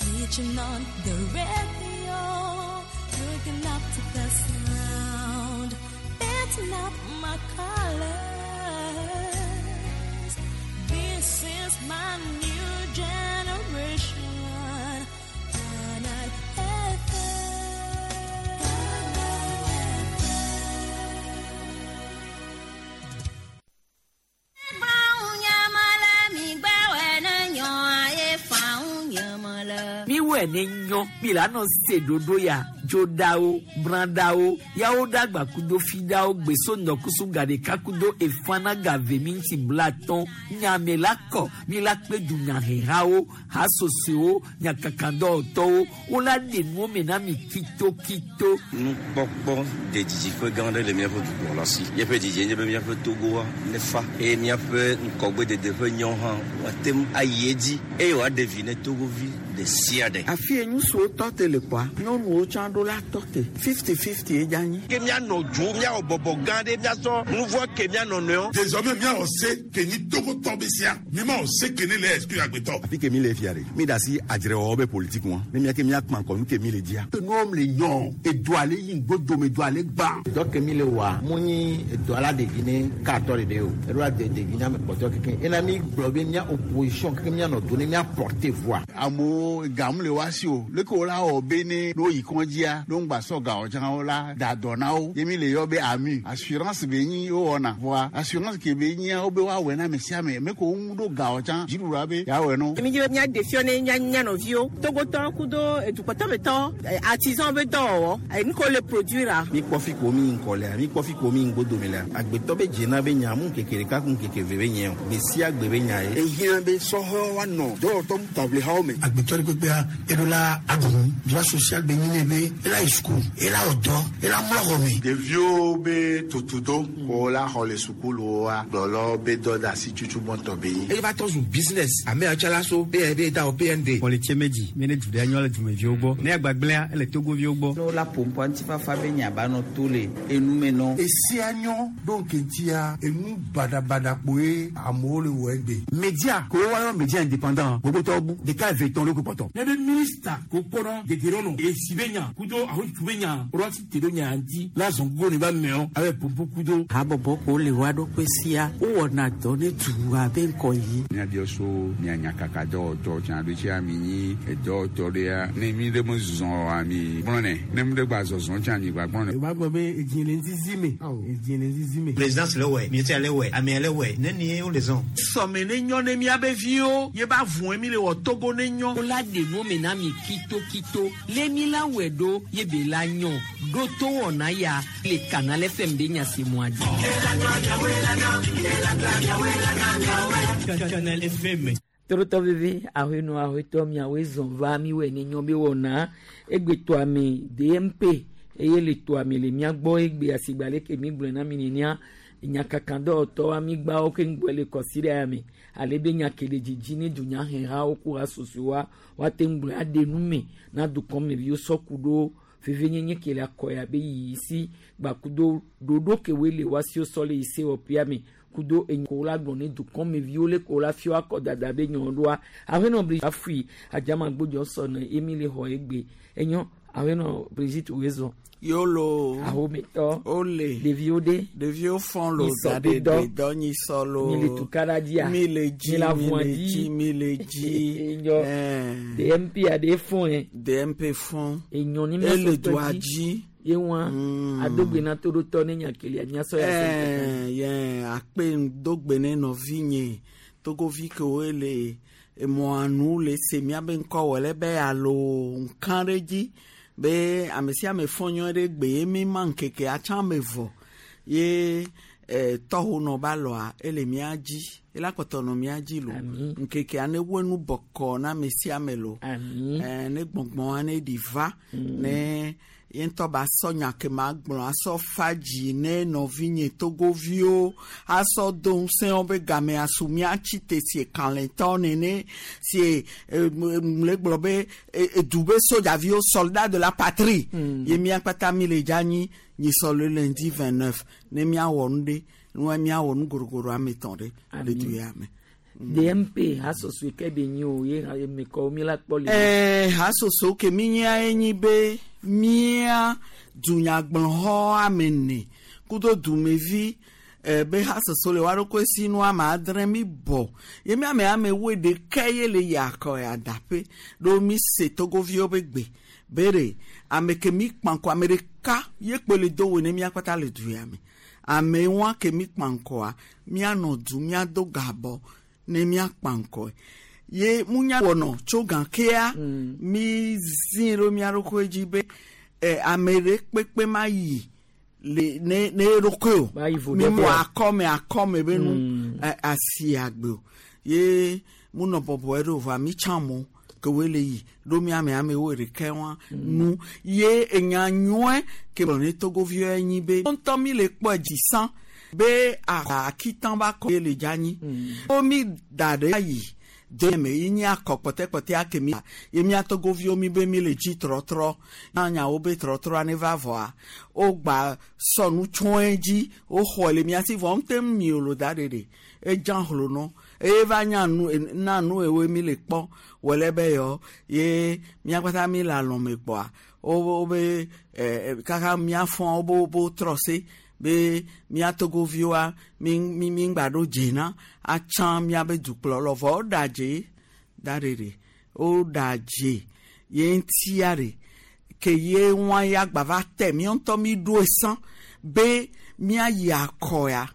Switching on the radio, looking up to the sound, that's not my colors. This is my new generation. Canal Miwɔe ne nyɔ mi la nɔ se ɖoɖo ya dzoɖawo brãɖawo yawo ɖagba kudo fiɖawo gbeso ŋdɔkusu gaɖeka kudo efana gave minti blatɔn nyame la kɔ mi la kpe dunyahehawo hasosoewo nyakakadɔwɔtɔwo wola ɖe nuwo me na mi kitokito. Nukpɔkpɔ de didiƒe gã aɖe le míaƒe dukplɔla si. Míaƒe didie nye be míaƒe Togoa nefa eye míaƒe ŋkɔgbedede ƒe nyɔ hã woate ŋu ayi edzi eye wòaɖe vi ne Togovi ɖe sia ɖe. Afi ye ŋutsuwo tɔ te le kpɔa, nyɔnuwo tsã ɖo la tɔ te. 50-50 ye dze anyi. Ke míanɔ dzo, míawɔ bɔbɔ gã ɖe, míasɔ nu vɔ̃ ke mía nɔnɔewo. Désormais míawɔ se ke nyi Togotɔ be sia. Mímawɔ se ke ne le exclure agbetɔ. Afi ke mi le fia ɖe, mi ɖe asi adzrewɔwɔ be politiki ŋua, ne mía ke míakpã ŋkɔ nu ke mi le dzia. Enuwo le nyɔ, edoa le yi ŋgbodome, edoa le gbã. Dɔ ke mi le wɔa, mu nyi edoa la ɖevi ne katɔ ɖeɖe o. Eɖo la de ɖevi na ame kpɔtɔe kekeŋ. Ena mi gblɔ be mía opposition kekeŋ míanɔ do ne mía porter voix. Amewo gamu le woa si o. Leke wola wɔ be ne ne woyi kɔdzia, ne woŋgba sɔ ga o tsã wola da dɔ na wo. Ye mi le yɔ be AMU. Assurance be nyi wowɔna. Vɔa assurance ke be nyia wobe woawɔe na ame sia ame. Me ko woŋu ɖo ga o tsã, dziɖuɖua be yeawɔe na wo. Mi dzi be míaɖe fiɔ ne mía mía nɔviwo, Togotɔwo kudo edukpɔtɔmetɔwo, artisan be dɔwɔwɔ, nu ke wole produire. Mi kpɔ fi ko mi ŋkɔ lea, mi kpɔ fi ko mi ŋgbodome lea. Agbetɔ be dzena be nya mu ŋkeke ɖeka ku ŋkeke ve be nye o. Gbe sia gbe be nya ye. Ehiã be sɔhɛwo woanɔ dɔwɔtɔ taʋlihawo me. Agbetɔ ɖe kpekpea, eɖo la aɖu droit social be nyi nɛ be ela yi suku, ela wɔ dɔ, ela mlɔ xɔ me. Ɖeviwo be tutudo ko la xɔ le sukuluwoa, gblɔlɔ be dɔ de asi tutu gbɔntɔ be nyi. Eye va tɔ zu business. Ame yawo tsã la so be da wɔ PND. Xɔlitse medzi mi ne du ɖe nyɔ le dumeviwo gbɔ. Ne agbagblẽa ele Togoviwo gbɔ. Ne wola ƒoƒoa ŋutifafa be nya ba nɔ to le enume nɔ. Esia nyɔ ɖo ŋkeŋtia enu baɖabaɖa kpoe amewo le wɔ egbe. Media ko woayɔ media indépendant gbogbotɔwo bu ɖeka eve tɔn ɖo kpɔtɔ. Ne be minista ko kpɔnɔ dedienɔnɔ esi be nya kudo ahotu be nya ɖo asi te ɖo nya ŋuti la zɔn gogo ne ba mɛɔ abe popo kudo. Habɔbɔ ko le woa ɖokui sia wowɔna dɔ ne dua be ŋkɔ yi. Míabiɔ so mía nyakaka dɔwɔtɔ tsã ɖo tsia mi nyi edɔwɔtɔ ɖea ne mi ɖe me zɔ oa mi gblɔnɛ ne mi ɖe gba zɔzɔ tsã mi gba gblɔnɛ. O b'a gbɔ be edzi le ŋzizi me edzi le ŋzizi me. Présidence le wɛ, ministère le wɛ, amea le wɛ, ne nie wo le zɔn. Sɔme ne nyɔ ne míabe viwo ye ba vɔe mi le wɔ Togo ne nyɔ. Wola ɖe nuwo me na mi kitokito le mi la wɔe ɖo ye be la nyɔ ɖo to wɔna ya le Canal FM be nyasemɔa dzi. Canal FM. Torotɔ veve ahɔenɔ ahɔetɔ miawoe zɔn va miwɔe ne nyɔ be wɔna egbe toa me DMP eye le toa me le mía gbɔ egbe asigba leke mi gblɔe na mi nenea nyakakadɔwɔtɔwo amigbawo ke ŋgbɔe le kɔsi ɖe ya me ale be nya ke le dzidzi ne dunyahehawo ku hasosoewoa woate ŋu gblɔe aɖe nu me na dukɔmeviwo sɔ ku ɖo vevenyenye ke le akɔ ya be yiyi si gbakudo ɖoɖo ke woe le woasi sɔ le yi sewɔƒea me kudo enyi la gblɔ ne dukɔmeviwo le ko la fia akɔ dada be nyɔ ɖoa ahenɔ bri afui adzamagbodzɔ sɔ ne emi le xɔ egbe enyɔ ahenɔ Brigitte wezɔ. Yolo. Ahometɔ. Ole. Ɖeviwo ɖe. Ɖeviwo fɔn lo Nyisɔ da be ɖe dɔ. dɔ nyisɔ lo. Mi le tukara dzia. Mi le dzi Mi le mi avɔa le dzi. dzi mi le dzi. Enyɔ. DMP aɖe fɔn yɛ. DMP fɔn. Enyɔ ni Ele miasɔ doa dzi. dzi. Ye wa adogbe na to ɖo tɔ ne nya kelia miasɔ ya se. Ɛɛ yɛ akpe ŋdogbe ne nɔvinye togovi kewoe le emɔa nu le se miabe ŋkɔ wɔ le be alo ŋka ɖe dzi be ame sia ame fɔ nyɔ ɖe gbe ye mi ma ŋkeke atsã me vɔ ye tɔho nɔ ba lɔa ele mía dzi ela kpɔtɔ nɔ mía dzi lo ŋkekea ne wo nu bɔkɔ na ame sia ame lo ne gbɔngbɔn ne ɖi va ne ye ŋutɔ ba sɔ nya ke ma gblɔ asɔ fa dzi ne nɔvinye togoviwo asɔ do ŋusẽ wo be game asu míatsi te sie kalẽtɔ nene sie le gblɔ be edu be sojaviwo soldat de la patrie ye mía kpata mi le dza nyi nyisɔ le lundi 29 ne míawɔ nu ɖe nua míawɔ nu gorogoro ame etɔ̃ ɖe le du ya me. DMP hasoso ke be nyi o ye ha me ko mi la kpɔ le. Ɛɛ hasoso ke mi nyia enyi be mía dunyagblɔxɔ ame ene kudo dumevi be hasoso le wa ɖokui si nu ame adre mi bɔ ye mi ame ame woe ɖeka ye le yi akɔ ya daƒe ɖo mi se togoviwo be gbe be ɖe ame ke mi kpa ŋkɔ ame ɖeka ye kpe le do wo ne mía kpata le du ya me ame wa ke mi kpa ŋkɔa míanɔ du míado gabɔ ne míakpa ŋkɔe ye munya wɔnɔ tso gakea mi zi ɖo mía ɖokui dzi be ame ɖe kpekpe ma yi le ne ne eɖokui o Ba yi vo mi ɖe mɔ ƒe. akɔme akɔme be nu asi agbe o ye munɔ bɔbɔe ɖo vɔa mi tsã mo ke woe le yi ɖo mía ame amewo ɖeka wa nu ye enya nyɔe ke gblɔ ne togoviwo nyi be ŋutɔ mi le kpɔe dzisã be akitã ba kɔ ye le dzanyi wo mi da ɖe ayi de me yi nye akɔ kpɔtɛkpɔtɛa ke mi ye mía togoviwo mi be mi le dzi trɔtrɔ nyawo be trɔtrɔa ne va vɔa wogba sɔ nu tsɔe dzi woxɔe le mía si vɔ ŋute mi o lo da ɖe ɖe edza hlonɔ eye va nya nu na nu ewoe mi le kpɔ wòle be yɔ ye mía kpata mi le alɔme kpɔa wo wo be kaka mía fɔ wo bo trɔ se be mía togoviwoa mi mi mi ŋgba ɖo dze na atsã míabe dukplɔlɔ vɔ woɖa dze da ɖe ɖe woɖa dze ye ŋutia ɖe ke ye ŋua ya gba va te míawo ŋutɔ mi ɖoe sã be míayi akɔ ya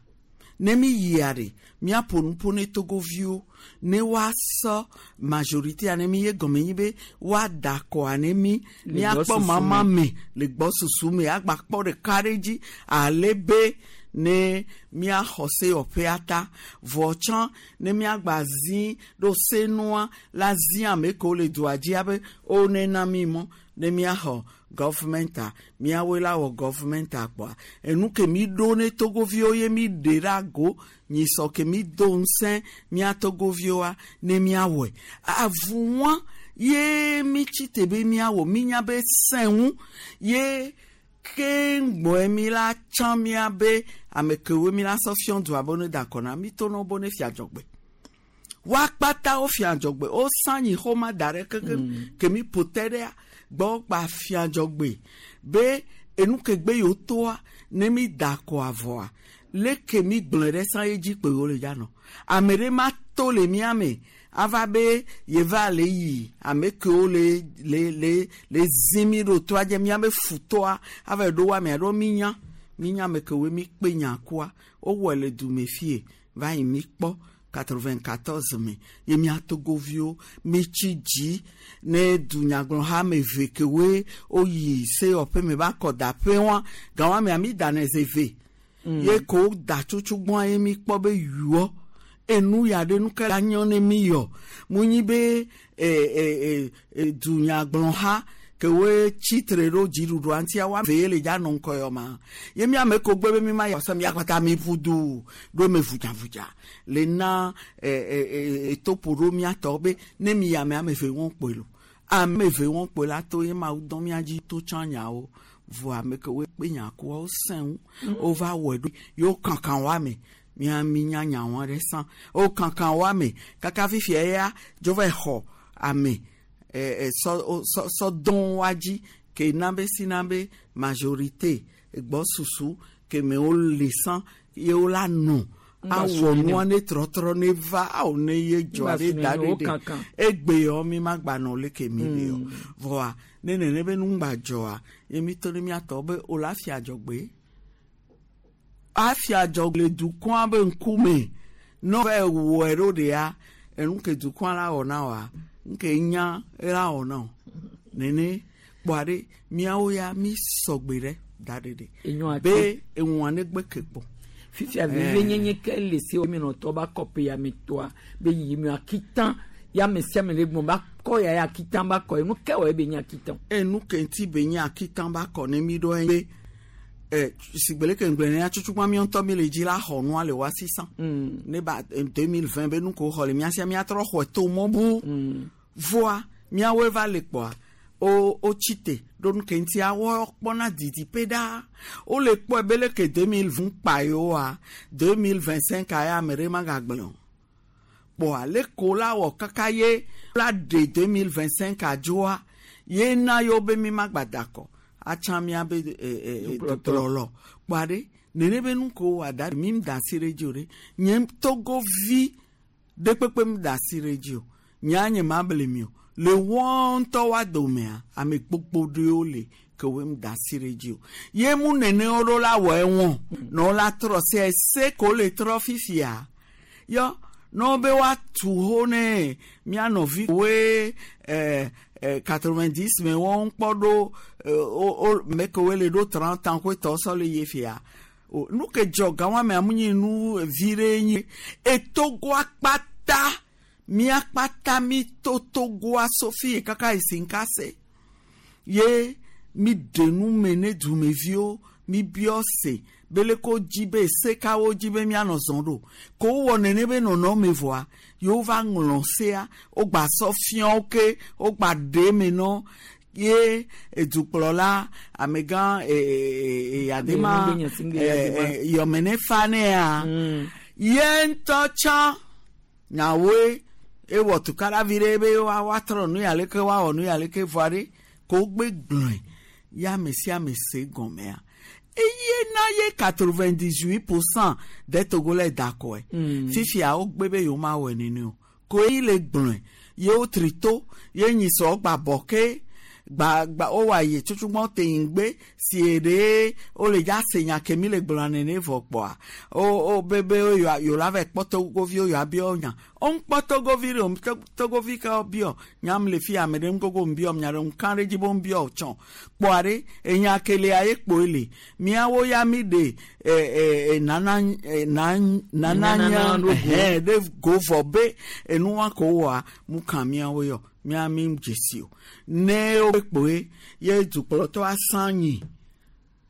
ne mi yia ɖe míaƒo nu ƒo ne togoviwo ne woasɔ majorité ne mi ye gɔme nyi be woada akɔa ne mi Le míakpɔ gbɔsusu mama me. me le gbɔsusu me agba kpɔ ɖeka ɖe dzi ale be ne míaxɔ seyɔƒea ta vɔ tsã ne míagba zi ɖo senua la zi ame kewo le dua dzia be wo nena mi mɔ ne míaxɔ gɔvmɛnta míawoe la wɔ gɔvmɛnta kpɔa enu ke mi ɖo ne togoviwo ye mi ɖe ɖe ago nyisɔ ke mi do ŋusẽ mía togoviwoa ne míawɔe avuwa ye mi tsi te be míawɔ mínya be sẽ ŋu ye keŋgbɔe mi la tsã mía be ame kewoe mi la sɔ fiɔ dua be ne da akɔ na mi to nɔ bo ne fia dzɔgbe woa kpata wo fia dzɔgbe wo sã nyi xɔma da ɖe kekeŋ ke mi ƒo te ɖea gbɔ gba fia dzɔgbe be enu ke gbe yewo toa ne mi da akɔ avɔa leke mi gblɔe ɖe sã ye dzi kpe wo le dza nɔ ame ɖe ma to le mía me ava be yeva le yi ame kewo le le le le zi mi ɖo toa dze míabe futɔa ava ɖo wo ame aɖewo mi nya mi nya ame kewoe mi kpe nya kua wowɔe le dume fie va yi mi kpɔ 94 me ye mía togoviwo mi tsi dzi ne dunyagblɔha ame eve kewoe woyi seyɔƒe me va kɔ daƒe wa gawa mea mi da ne ze eve ye ko da tsutsugbɔa ye mi kpɔ be yuɔ enu ya ɖe nu ke la nyɔ ne mi yɔ mu nyi be dunyagblɔha kewoe tsitre ɖo dziɖuɖua ŋutia wa ve ye le dza nɔ ŋkɔ yɔ ma ye mi ame ko gbe be mi ma yɔ se mia kpata mi ƒu du ɖo me vudzavudza le na etoƒo ɖo mía tɔ be ne mi yi ame ame eve wɔn kpoe lo ame eve wɔn kpoe la to ye mawu dɔn mía dzi to tsã nyawo vɔ ame kewoe kpe nya kua wo sẽ ŋu wova wɔe ɖo yewo kankan wa me mía mi nya nyawo ɖe sã wo kankan wa me kaka fifia ya dzo va xɔ ame sɔ sɔ sɔ dɔn wa dzi ke na be si na be majorité gbɔsusu ke me wo le sã ye wo la nɔ Ŋgba awɔ su nua ne trɔtrɔ ne va awo ne ye dzɔ Ŋgba ɖe su da nene, wo ɖe ɖe kankan. egbe yɔ mi ma gba nɔ leke mi le yɔ vɔa ne nene be nu ŋgba dzɔa ye mi to ne miatɔ be o la fia dzɔgbe afia dzɔgbe le dukɔa be ŋkume ne va wɔe ɖo ɖea enu ke dukɔa la wɔ na woa nke nya la wɔ na o nene kpɔa ɖe miawo ya mi sɔgbe ɖe da ɖe ɖe Enyo ate. be eŋua ne gbe ke kpɔ. Fifia vivi nyenye ke le se mi nɔtɔ ba kɔpe ya me tɔa be yiyi mi akitã ya ame sia ame le gbɔn ba kɔ ya ya akitã ba kɔ enu ke wɔ ye be nye akitã. Enu ke ŋuti be nye akitã ba kɔ ne mi ɖo be sigbe leke ŋgblẽ ne tutugba mi ŋutɔ mi le dzi la xɔ nua le wa sisan ne ba 2020 be nu ko xɔ le mía sia míatrɔ xɔ to mɔ bu voa míawoe va le kpɔa wo wo tsi te ɖo nu ke ŋutia wo kpɔna didiƒe ɖaa wole kpɔe be leke 2020 kpa yewoa 2025 aya ame ɖe magagblẽ o. Kpɔa le ko la wɔ kaka ye la de 2025 adzoa ye na yewo be mi ma gba da akɔ atsã miabe dukplɔlɔ. Kpɔa ɖe nene be nu ko wɔ da mi da asi ɖe edzi o ɖe nye Togovi ɖe kpekpe mi da asi ɖe edzi o. Nya nye ma ble mi o. Le wɔn ŋutɔ wa domea ame gbogbo ɖewo le ke wo da asi ɖe edzi o. Ye mu nene wo ɖo la wɔ ewɔn na wo la trɔ se ese ko le trɔ fifia yɔ ne wo be woatu ho ne mía nɔvi woe 90 me wɔn kpɔ ɖo o me ke woe le ɖo 30 ans koe tɔ sɔ le ye fia o nu ke dzɔ gawa me amu nyi nu vi ɖe nyi etogoa kpata mía kpata mi to togoa sofi kaka yi si nka se ye mi ɖe nu me ne dumeviwo mi biɔ se bele ko dzi be se kawo dzi be mianɔ zɔn ɖo ko wowɔ nene be nɔnɔme vɔa yewo va ŋlɔ sea wogba sɔ fiawo ke wogba ɖe eme nɔ ye edukplɔla amegã Eyadema yɔmene fa nea ye ŋutɔ tsã nyawoe ewɔ tukaɖavi ɖe be woatrɔ nu ya leke woawɔ nu ya leke vɔa ɖe ko wogbe gblɔe ya ame sia ame se gɔmea eye na ye 98% de Togolais dakɔe. Fifia wogbe be yewo ma wɔe nene o ko yi le gblɔe ye wotri to ye nyi sɔ gba bɔ ke gba gba wowɔ ayi tsutsugbɔn te ŋgbe si ɖe wole dza se nya ke mi le gblɔa nene vɔ kpɔa o o be be yewo la va kpɔ togoviwo yewoa biɔ nya o ŋkpɔ togovi ɖe o togovi ke biɔ nyam le fi ame ɖe ŋgogo ŋbiɔ nya ɖe ŋka ɖe dzi be ŋbiɔ tsɔ kpɔa ɖe enya kelea ye kpoe le miawo ya mi ɖe ɛ ɛ nana na nana nya hɛn ɖe go vɔ be enua ko wɔa mu kan miawo yɔ mia mi dzesi o ne wo kpoe ye dukplɔtɔ asã nyi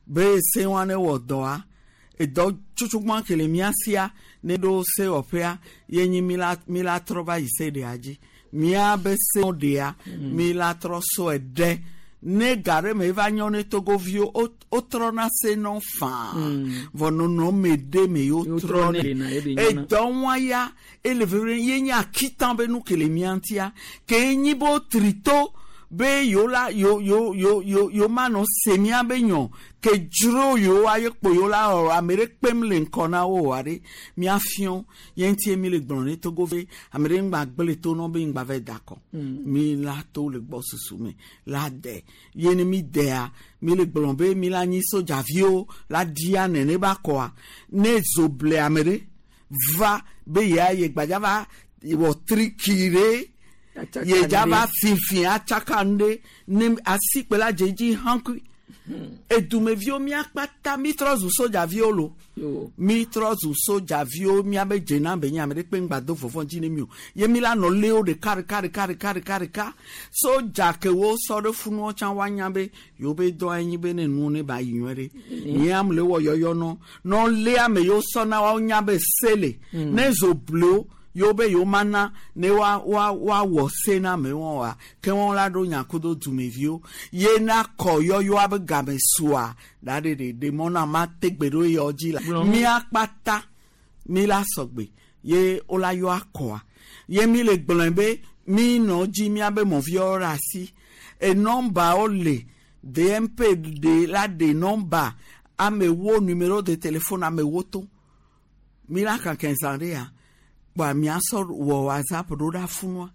be se wa ne wɔ dɔa edɔ tsutsugbɔn ke le mia sia ne ɖo sewɔƒea ye nyi mi la mi la trɔ va yi se ɖea dzi mia be se ɖea mi la trɔ sɔe ɖe ne ga ɖe me va nyɔ ne togoviwo wotrɔna se nɔ faa vɔ nɔnɔme ɖe me yewo trɔ ne edɔ wa ya ele veve ye nye akitã be nu ke le mia ŋutia ke nyi be wotri to be yewo la yewo yewo yewo yewo yewo manɔ se mia be nyɔ ke dzro yewo aye kpo yewo la wɔ ame ɖe kpem le ŋkɔ na wo oa ɖe miafiɔ ye ŋutie mi le gblɔ ne Togo ve ame ɖe ŋgba gblẽ to nɔ be ŋgba va da akɔ mi la to le gbɔ susu me la de ye ne mi dea mi le gblɔ be mi la nyi sodzaviwo la dia nene ba kɔa ne zo ble ame ɖe va be yea ye gbadza va wɔ triki ɖe ye dza va fifi atsaka nu ɖe ne asikpe la dze dzi hankui edumeviwo miakpata mi trɔ zu sodzaviwo lo mi trɔ zu sodzaviwo miabe dzena be nye ame ɖe kpe ŋgba do vɔvɔ dzi ne mi o ye mi la nɔ lé wo ɖeka ɖeka ɖeka ɖeka ɖeka ɖeka sodza kewo sɔ ɖe funuwo tsã woanya be yewo be dɔ anyi be ne nuwo ne ba yi nyuie ɖe nye ame le wɔ yɔyɔ nɔ nɔ lé ame yiwo sɔ na woawo nya be se le ne zo blewo yewo be yewo mana ne wa wa woawɔ se na amewo wa ke wɔn la ɖo nya kudo dumeviwo ye na kɔ yɔyɔa be game sua da ɖe ɖe ɖe mɔ na ma te gbe ɖo yɔ dzi la mía kpata mi la sɔgbe ye wo la yɔ akɔa ye mi le gblɔe be mi nɔ dzi míabe mɔviawo ɖe asi e nɔmbawo le DMP de la de nɔmba amewo numéro de téléphone amewo to mi la kankan zã ɖe ya kpɔa miasɔ wɔ WhatsApp ɖo ɖa funua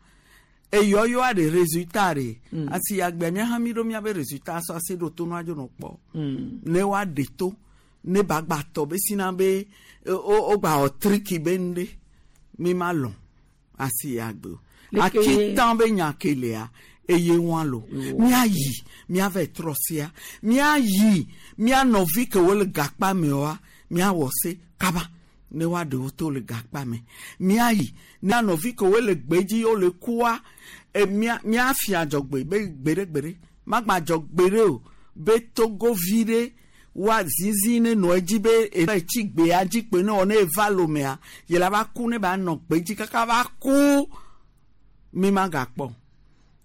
eyɔyɔa ɖe résultat ɖe asi agbea mía hã mi ɖo míabe résultat sɔ asi ɖo to nua dzo nɔ kpɔ ne woaɖe to ne ba gba tɔ be sina be o gba wɔ triki be nu ɖe mi ma lɔn asi agbe o akitã be nya ke lea eye wa lo míayi míava trɔ sia míayi mía nɔvi ke wo le gakpa me wa míawɔ se kaba ne woaɖe wo to le gakpa me míayi mía nɔvi ke wo le gbedzi wo le kua e mía míafia dzɔgbe be gbeɖegbeɖe magba dzɔ gbeɖe o be togovi ɖe wa zizi ne nɔ edzi be etsi gbea dzi kpe ne wɔ ne eva lomea ye la va ku ne ba nɔ gbedzi kaka va ku mi ma gakpɔ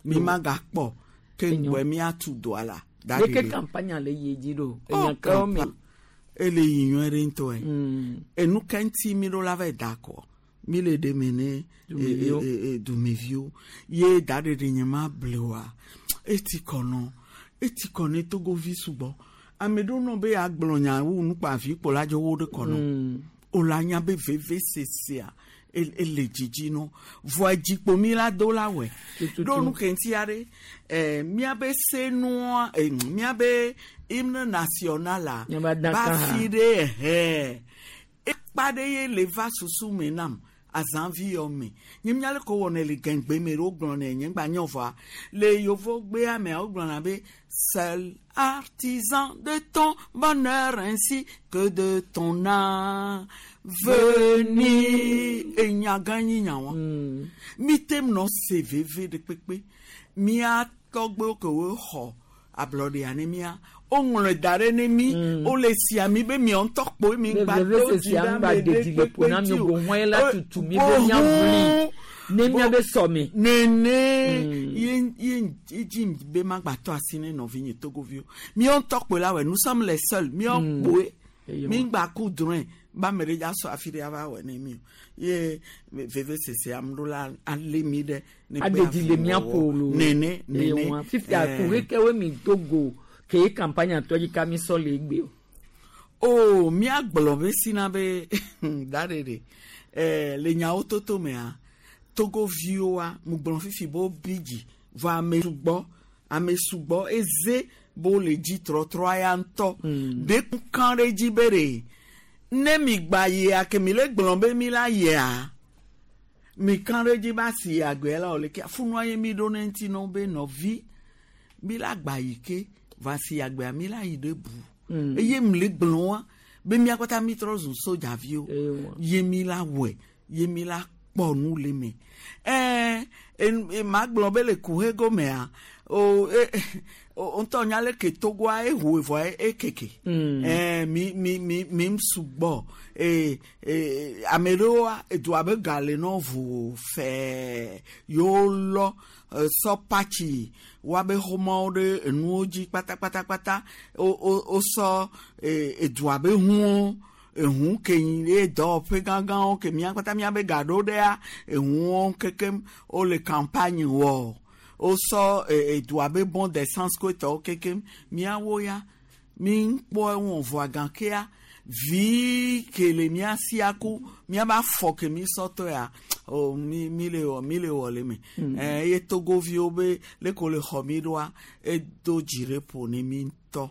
mi ma gakpɔ ke ŋgbɛ míatu doa la. Leke campagne le yi dzi ɖo enya kawo me. Ele yi nyuie ɖe ŋutɔ ye enu ke ŋuti mi ɖo la va da akɔ. Mi le ɖe me ne Dumeviwo. dumeviwo ye da ɖeɖe nye ma ble oa eti kɔ nɔ eti kɔ ne togovi sugbɔ ame ɖewo nɔ be yeagblɔ nya wu nukpavi kpo la dzo wo ɖe kɔ nɔ o la nya be veve sesea ele dzidzi nɔ vɔa dzikpo mi la do la wɔe Tututu. ɖo nu ke ŋuti aɖe miabe senua miabe hymne national la Miabe adaka ba hã. fi ɖe ɛhɛ ekpa ɖe ye le va susu me nam azãvi yɔ me nye mía le ko wɔnɛ le gɛngbe me ɖe wogblɔnɛ nye ŋgba nyɔ vɔa le yovogbea mea wogblɔna be seul artisan de ton bonheur ainsi que de ton avenir enya gã nyi nya wa mi tem nɔ se veve ɖe kpekpe mía tɔgbewo ke wo xɔ ablɔɖea ne mía woŋlɔe da ɖe ne mí wole sia mi be miawo ŋutɔ kpoe mi Be ŋgba veve do dzi sesea ɖe ŋgba ame de ɖe dzi le ƒo na kpekpe mi dzi o. o hɔn la Eh, tutu mi be miaʋli ne miabe sɔme. Nene ye ye ye dzi be magbatɔ asi ne nɔvinye togoviwo míawo ŋutɔ kpoe la wɔ nous sommes les seuls míawo kpoe Eye mi wa. ŋgba ku drɔ̃e ba ame ɖe dza sɔ afi ɖe ava wɔ ne mi o ye veve sese ame ɖo la alé mi ɖe ne kpe Aɖe dzi le mía afi ƒo wɔwɔ. lo. Nene Eye nene wa. Fifia eh, kuhe kewoe mi do go ke campagne tɔ dzi ka mi sɔ le egbe o. O míagblɔ be sina be da ɖeɖe le nyawo toto mea togoviwoa mugblɔ fifi be wobi dzi vɔ ame sugbɔ ame sugbɔ eze be wole dzi trɔtrɔ ya ŋutɔ ɖe kan ɖe dzi be ɖe ne mi gba yia ke mi le gblɔ be mi la yia mi kan ɖe dzi be asi agbea la wòle ke funua ye mi ɖo ne ŋuti nɔ be nɔvi mi la gba yi ke va si agbea mi la yi ɖe bu eye mi le gblɔ wa be mía kpata mi trɔ zu sodzaviwo ye mi la wɔe ye mi la kpɔ nu le me ɛɛ ma gblɔ be le kuhe gomea o e o ŋutɔ nya le ke togoa ehoe vɔ ekeke ɛɛ mi mi mi mi m sugbɔ ee ee ame ɖewoa edua be ga le nɔ vo fɛɛ yewo lɔ sɔ patsi woabe xɔmɔwo ɖe enuwo dzi kpatakpatakpata wo wo wosɔ edua be huwo ehu ke nyi ye dɔwɔƒe gãgãwo ke mía kpata míabe ga ɖo ɖea ehuwo kekem wole campagne wɔ wosɔ edua be bon d'essence ko etɔwo kekem míawo ya mi kpɔ ewɔ vɔa gãkea vi ke le mía sia ku míabe afɔ ke mi sɔ tɔ ya o mi mi le wɔ mi le wɔ le me eye togoviwo be leke wole xɔ mi ɖoa edo dzi ɖe ƒo ne mi ŋutɔ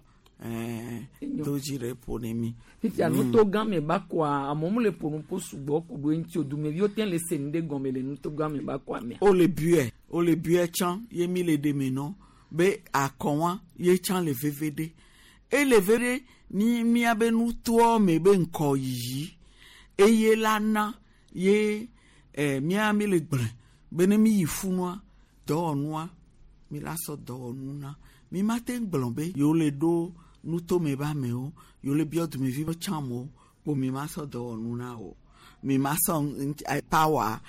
do dzi ɖe ƒo ne mi. Fifia nuto gã me ba kɔa amewo mu le ƒo nu ƒo sugbɔ ku ɖo eŋuti o dumeviwo te le se nu ɖe gɔme le nuto gã me ba kɔa mea. wole biɔɛ wole biɔɛ tsã ye mi le ɖe me nɔ be akɔwa ye tsã le veve ɖe ele ve ɖe ni míabe nutoa me be ŋkɔ yiyi eye la na ye mía mi le gblẽ be ne mi yi funua dɔwɔnua mi la sɔ dɔwɔnu na mi ma te gblɔ be yewo le ɖo nutome be amewo yewo le biɔ dumevi be tsã mo kpo mi ma sɔ dɔwɔnu na o mi ma sɔ power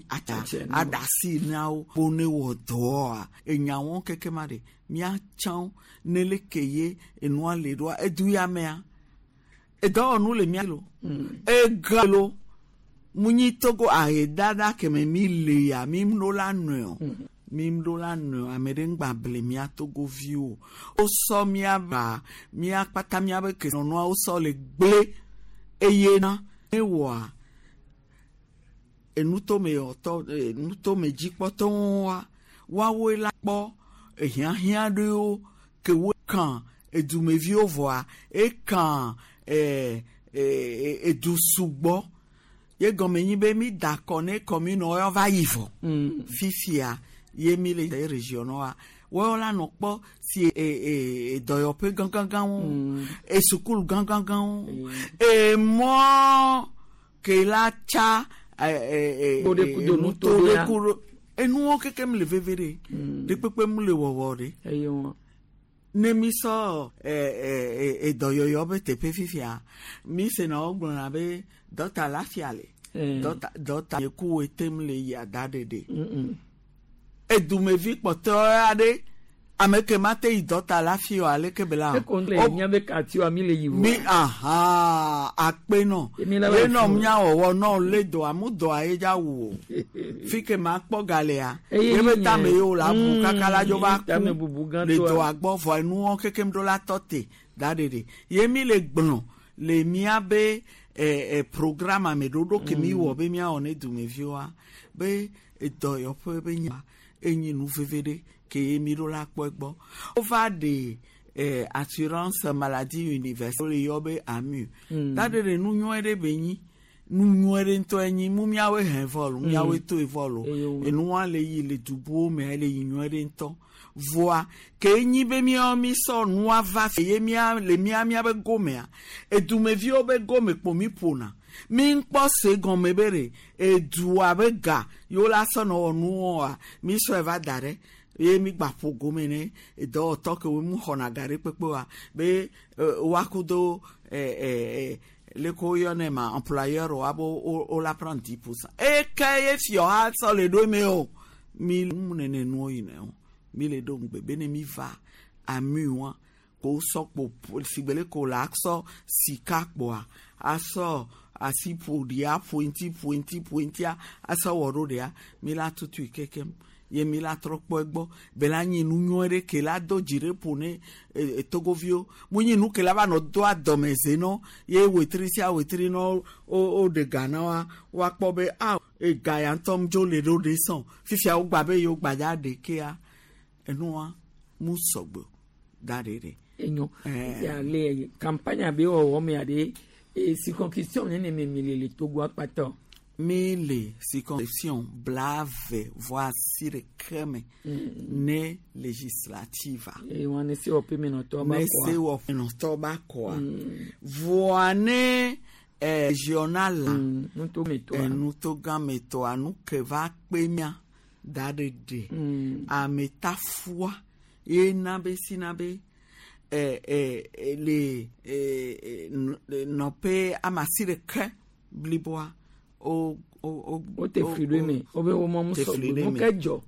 atsa aɖasi na wo bo ne wɔ dɔa enyawo keke ma ɖe míatsã ne le ke ye enua le ɖoa edu ya mea edɔwɔnu le mía lo ega lo munyi togo ahedada keme mi le ya mi ɖo la nɔe o mi ɖo la nɔe ame ɖe ŋgba ble mía togoviwo wosɔ mía ba mía kpata míabe kesinɔnua wosɔ le gblẽ eye na ne wɔa enutome wɔtɔ enutome dzikpɔtɔwoa woawoe la kpɔ ehiãhiã ɖewo ke wo kan edumeviwo vɔa ekan edu sugbɔ ye gɔme nyi be mi da kɔ ne commune wɔyɔ va yi vɔ fifia ye mi le region wa wɔyɔ la nɔ kpɔ si dɔyɔƒe gãgãgãwo esukulu gãgãgãwo emɔ ke la tsa Kpo ɖe kudo nuto ɖe ya. kudo enuwo kekem le veve ɖe ɖe kpekpe mu le wɔwɔ ɖe Eye wa. ne mi sɔ edɔyɔyɔ be teƒe fifia mi sena wo gblɔna be dɔta la fia le dɔta dɔta yeku etem le yi ada ɖeɖe edumevi kpɔtɔ aɖe Ame ke ma te yi dɔ ta la fi o aleke be la o. Eko le miabe quartier mi le yi Mi aha akpe nɔ. Mi la va Ye nɔ fi o. mía wɔwɔ nɔ le dɔa mu dɔa ye dza wu o. Fi ke ma kpɔ galea. Eye Ye be nye- tame ye o la bu kaka la dzo va tame ku bubu gã le tɔa. dɔa gbɔ vɔ enuwo kekem ɖo la tɔ te da ɖeɖe. Ye mi le gblɔ le míabe programme ame ɖoɖo ke mi wɔ be míawɔ ne dumeviwoa be edɔyɔƒe be nya enyi nu veve ɖe ke ye mi ɖo la kpɔ egbɔ. Wova ɖe assurance maladie universelle wole yɔ be AMU. Da ɖeɖe nu nyɔe ɖe be nyi nu nyɔe ɖe ŋutɔ enyi mu míawoe hɛ vɔ lo míawoe toe vɔ lo Eyo. enua le yi le dubuwo me le yi nyɔe ɖe ŋutɔ voa ke nyi be míawo mi sɔ nua va ye mía le mía míabe gomea edumeviwo be gome kpo mi ƒona mi ŋkpɔ se gɔme be ɖe edua be ga yewo la sɔ nɔ wɔ nuwoa mi sɔe va da ɖe ye mi gba ƒo gome ne edɔwɔtɔ kewo mu xɔna ga ɖe kpekpe wa be woakudo leke woyɔnɛ ma employeur wa be wo la prendre 10%. Eke ye fiɔ ha sɔ le ɖo eme o mi mu nene nuwo yina o mi le ɖo ŋugbe be ne mi va ami wa ko sɔ kpo sigbe le ko la sɔ sika kpoa asɔ asi ƒo ɖia ƒo ŋuti ƒo ŋuti ƒo ŋutia asɔ wɔ ɖo ɖia mi la tutui kekem ye mi la trɔ kpɔ egbɔ be la nyi nu nyɔe ɖe ke la do dzi ɖe ƒo ne togoviwo mu nyi nu ke la va nɔ do adɔmeze nɔ ye wetri sia wetri nɔ wo wo ɖe ga na wa woakpɔ be a ega ya ŋutɔ ŋdzo le ɖo ɖe sɔn fifia wo gba be yewo gbadza ɖe kea enua mu sɔgbɔ da ɖe ɖe. Enyo. Ya le campagne be wɔwɔ mea ɖe e circonscription nene me mi le le Togo akpatɔ. Mi le circonscription 28 me ne législative. Eye wɔn ne sewɔƒe menɔtɔ ba ne kɔa. sewɔƒenɔtɔ ba kɔa. Voa ne régional la. Nutometɔa. Nutogãmetɔa nu ke va kpe mía da ɖe ɖe. Ametafua ye na be sina be le nɔƒe amasi ɖeke bliboa o o o. O te fli ɖo eme wobe wo mɔ mu te fli sɔgbe ɖe nu eme. ke dzɔ.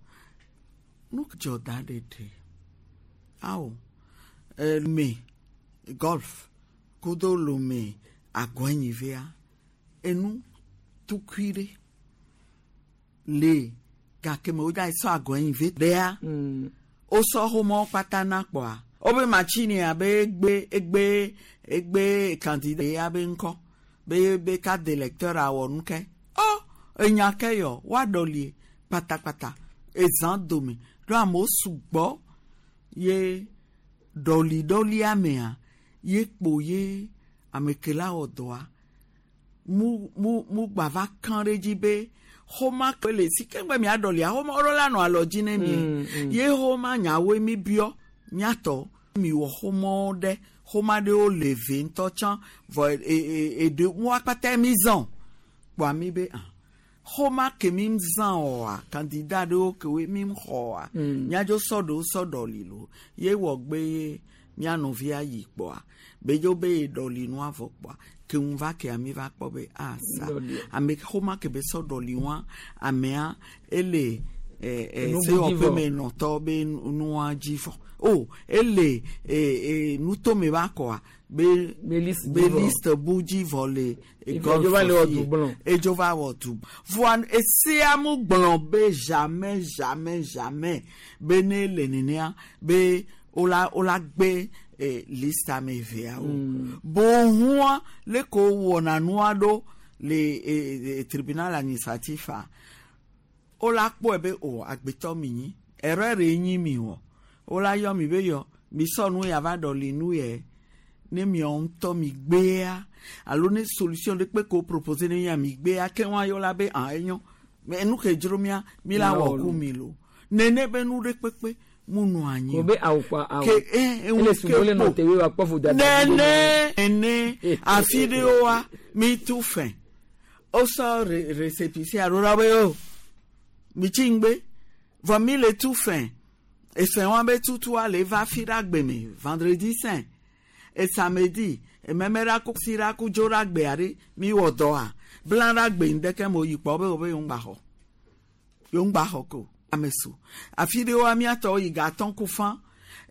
Nu dzɔ da ɖe ɖe awo me golf kudo lome agɔnyivea enu tukui ɖe le gake me wodza sɔ agɔnyive ɖea wosɔ xɔmɔ kpata na kpɔa wobe machine abe egbe egbe egbe candidat ya be ŋkɔ be be carte d'électeur awɔ nu ke ɔ enya ke yɔ woaɖɔlie kpatakpata ezã dome ɖo amewo sugbɔ ye ɖɔliɖɔlia mea ye kpo ye ame ke la wɔ dɔa mu mu mu gba va kã ɖe dzi be xɔma ke le si ke ŋgbe mia ɖɔlia xɔma wo la nɔ alɔ dzi ne mi ye xɔma nyawoe mi biɔ miatɔ mi wɔ xɔmɔwo ɖe xɔma ɖewo le ve ŋutɔ tsã vɔ e e eɖe ŋua kpata mi zã kpɔa mi be ah xɔma ke mi zã oa candidat ɖewo kewoe mi xɔa miadzo sɔ ɖewo sɔ ɖɔli lo ye wɔ gbe ye mia nɔvia yi kpɔa be dzo be ye ɖɔli nua vɔ kpɔa ke ŋu va kea mi va kpɔ be ah sa Ɖɔli. ame xɔma ke be sɔ ɖɔli wa amea ele Enu bu dzi sewɔƒe vɔ. me nɔtɔ be nua dzi vɔ o ele nutome va kɔa be Be liste be dzi vɔ. liste bu dzi vɔ le Edzo va le wɔ du gblɔ. edzo va wɔ du voa esia mu gblɔ be jamais jamais jamais be ne le nenea be wola wola gbe liste ame eveawo bohua le ko wɔna nua ɖo le tribunal administratif a wola kpɔe be o agbetɔ mi nyi erreur ye nyi mi wɔ wola yɔ mi be yɔ mi sɔ nu ya va ɖɔli nu yɛ ne miawo ŋutɔ mi gbea alo ne solution ɖe kpe ko propose ne mia mi gbea ke wa yɔ la be ah enyo mais nu ke dzro mia mi la wɔ ku mi lo nene be nu ɖe kpekpe mu nɔ anyi o be awo kpa awo. ke eh ele sugbɔ le nɔ te we wa kpɔ vodada. nene nene afi ɖewoa mi tu fɛ wosɔ récépissé alo la be o mi tsi ŋgbe vɔ mi le tu fɛ efɛ wa be tutua le va fi ɖe agbe me vendredi saint e samedi ememe ɖe aku si ɖe aku dzo ɖe agbea ɖe mi wɔ dɔa bla ɖe agbe ŋdeke me yi kpɔ be wo be yewo ŋgba xɔ yewo ŋgba xɔ ko ame su afi ɖewoa miatɔwo yi gatɔn ku fã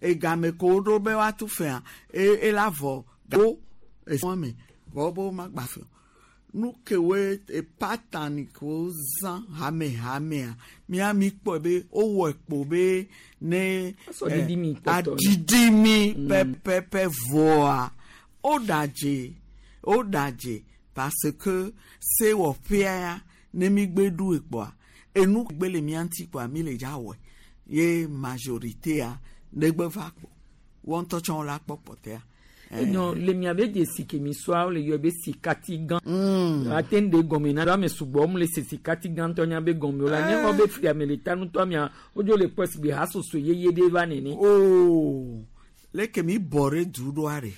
Egame ko woɖo be woatu fea e ela vɔ wo esɔn me vɔ be womagba fe o. Nu kewoe epatani kewo zã hamehamea mía mi kpɔe be wowɔ kpo be ne Asɔ ɖiɖi mi kpɔtɔ. aɖiɖi mi pɛpɛpɛ vɔa woɖadze woɖadze parce que sewɔƒea ya ne mi gbe ɖu ekpɔa enu gbe le mía ŋuti kpɔa mi le dza wɔe ye majoritéa negbe va kpɔ wɔn ŋutɔ tsɛ la kpɔ kpɔtɔea. Enyo le miabe dzesi ke mi sɔa wole yɔ be sikati gã. Ate ŋu ɖe gɔme na ame sugbɔ mu le se sikati gã ŋutɔ nya be gɔme o la nye xɔ be fia me le ta ŋutɔ mia wodzo le kpɔ si be hasoso yeye ɖe va nene. Oo leke mi bɔ ɖe du ɖoa ɖe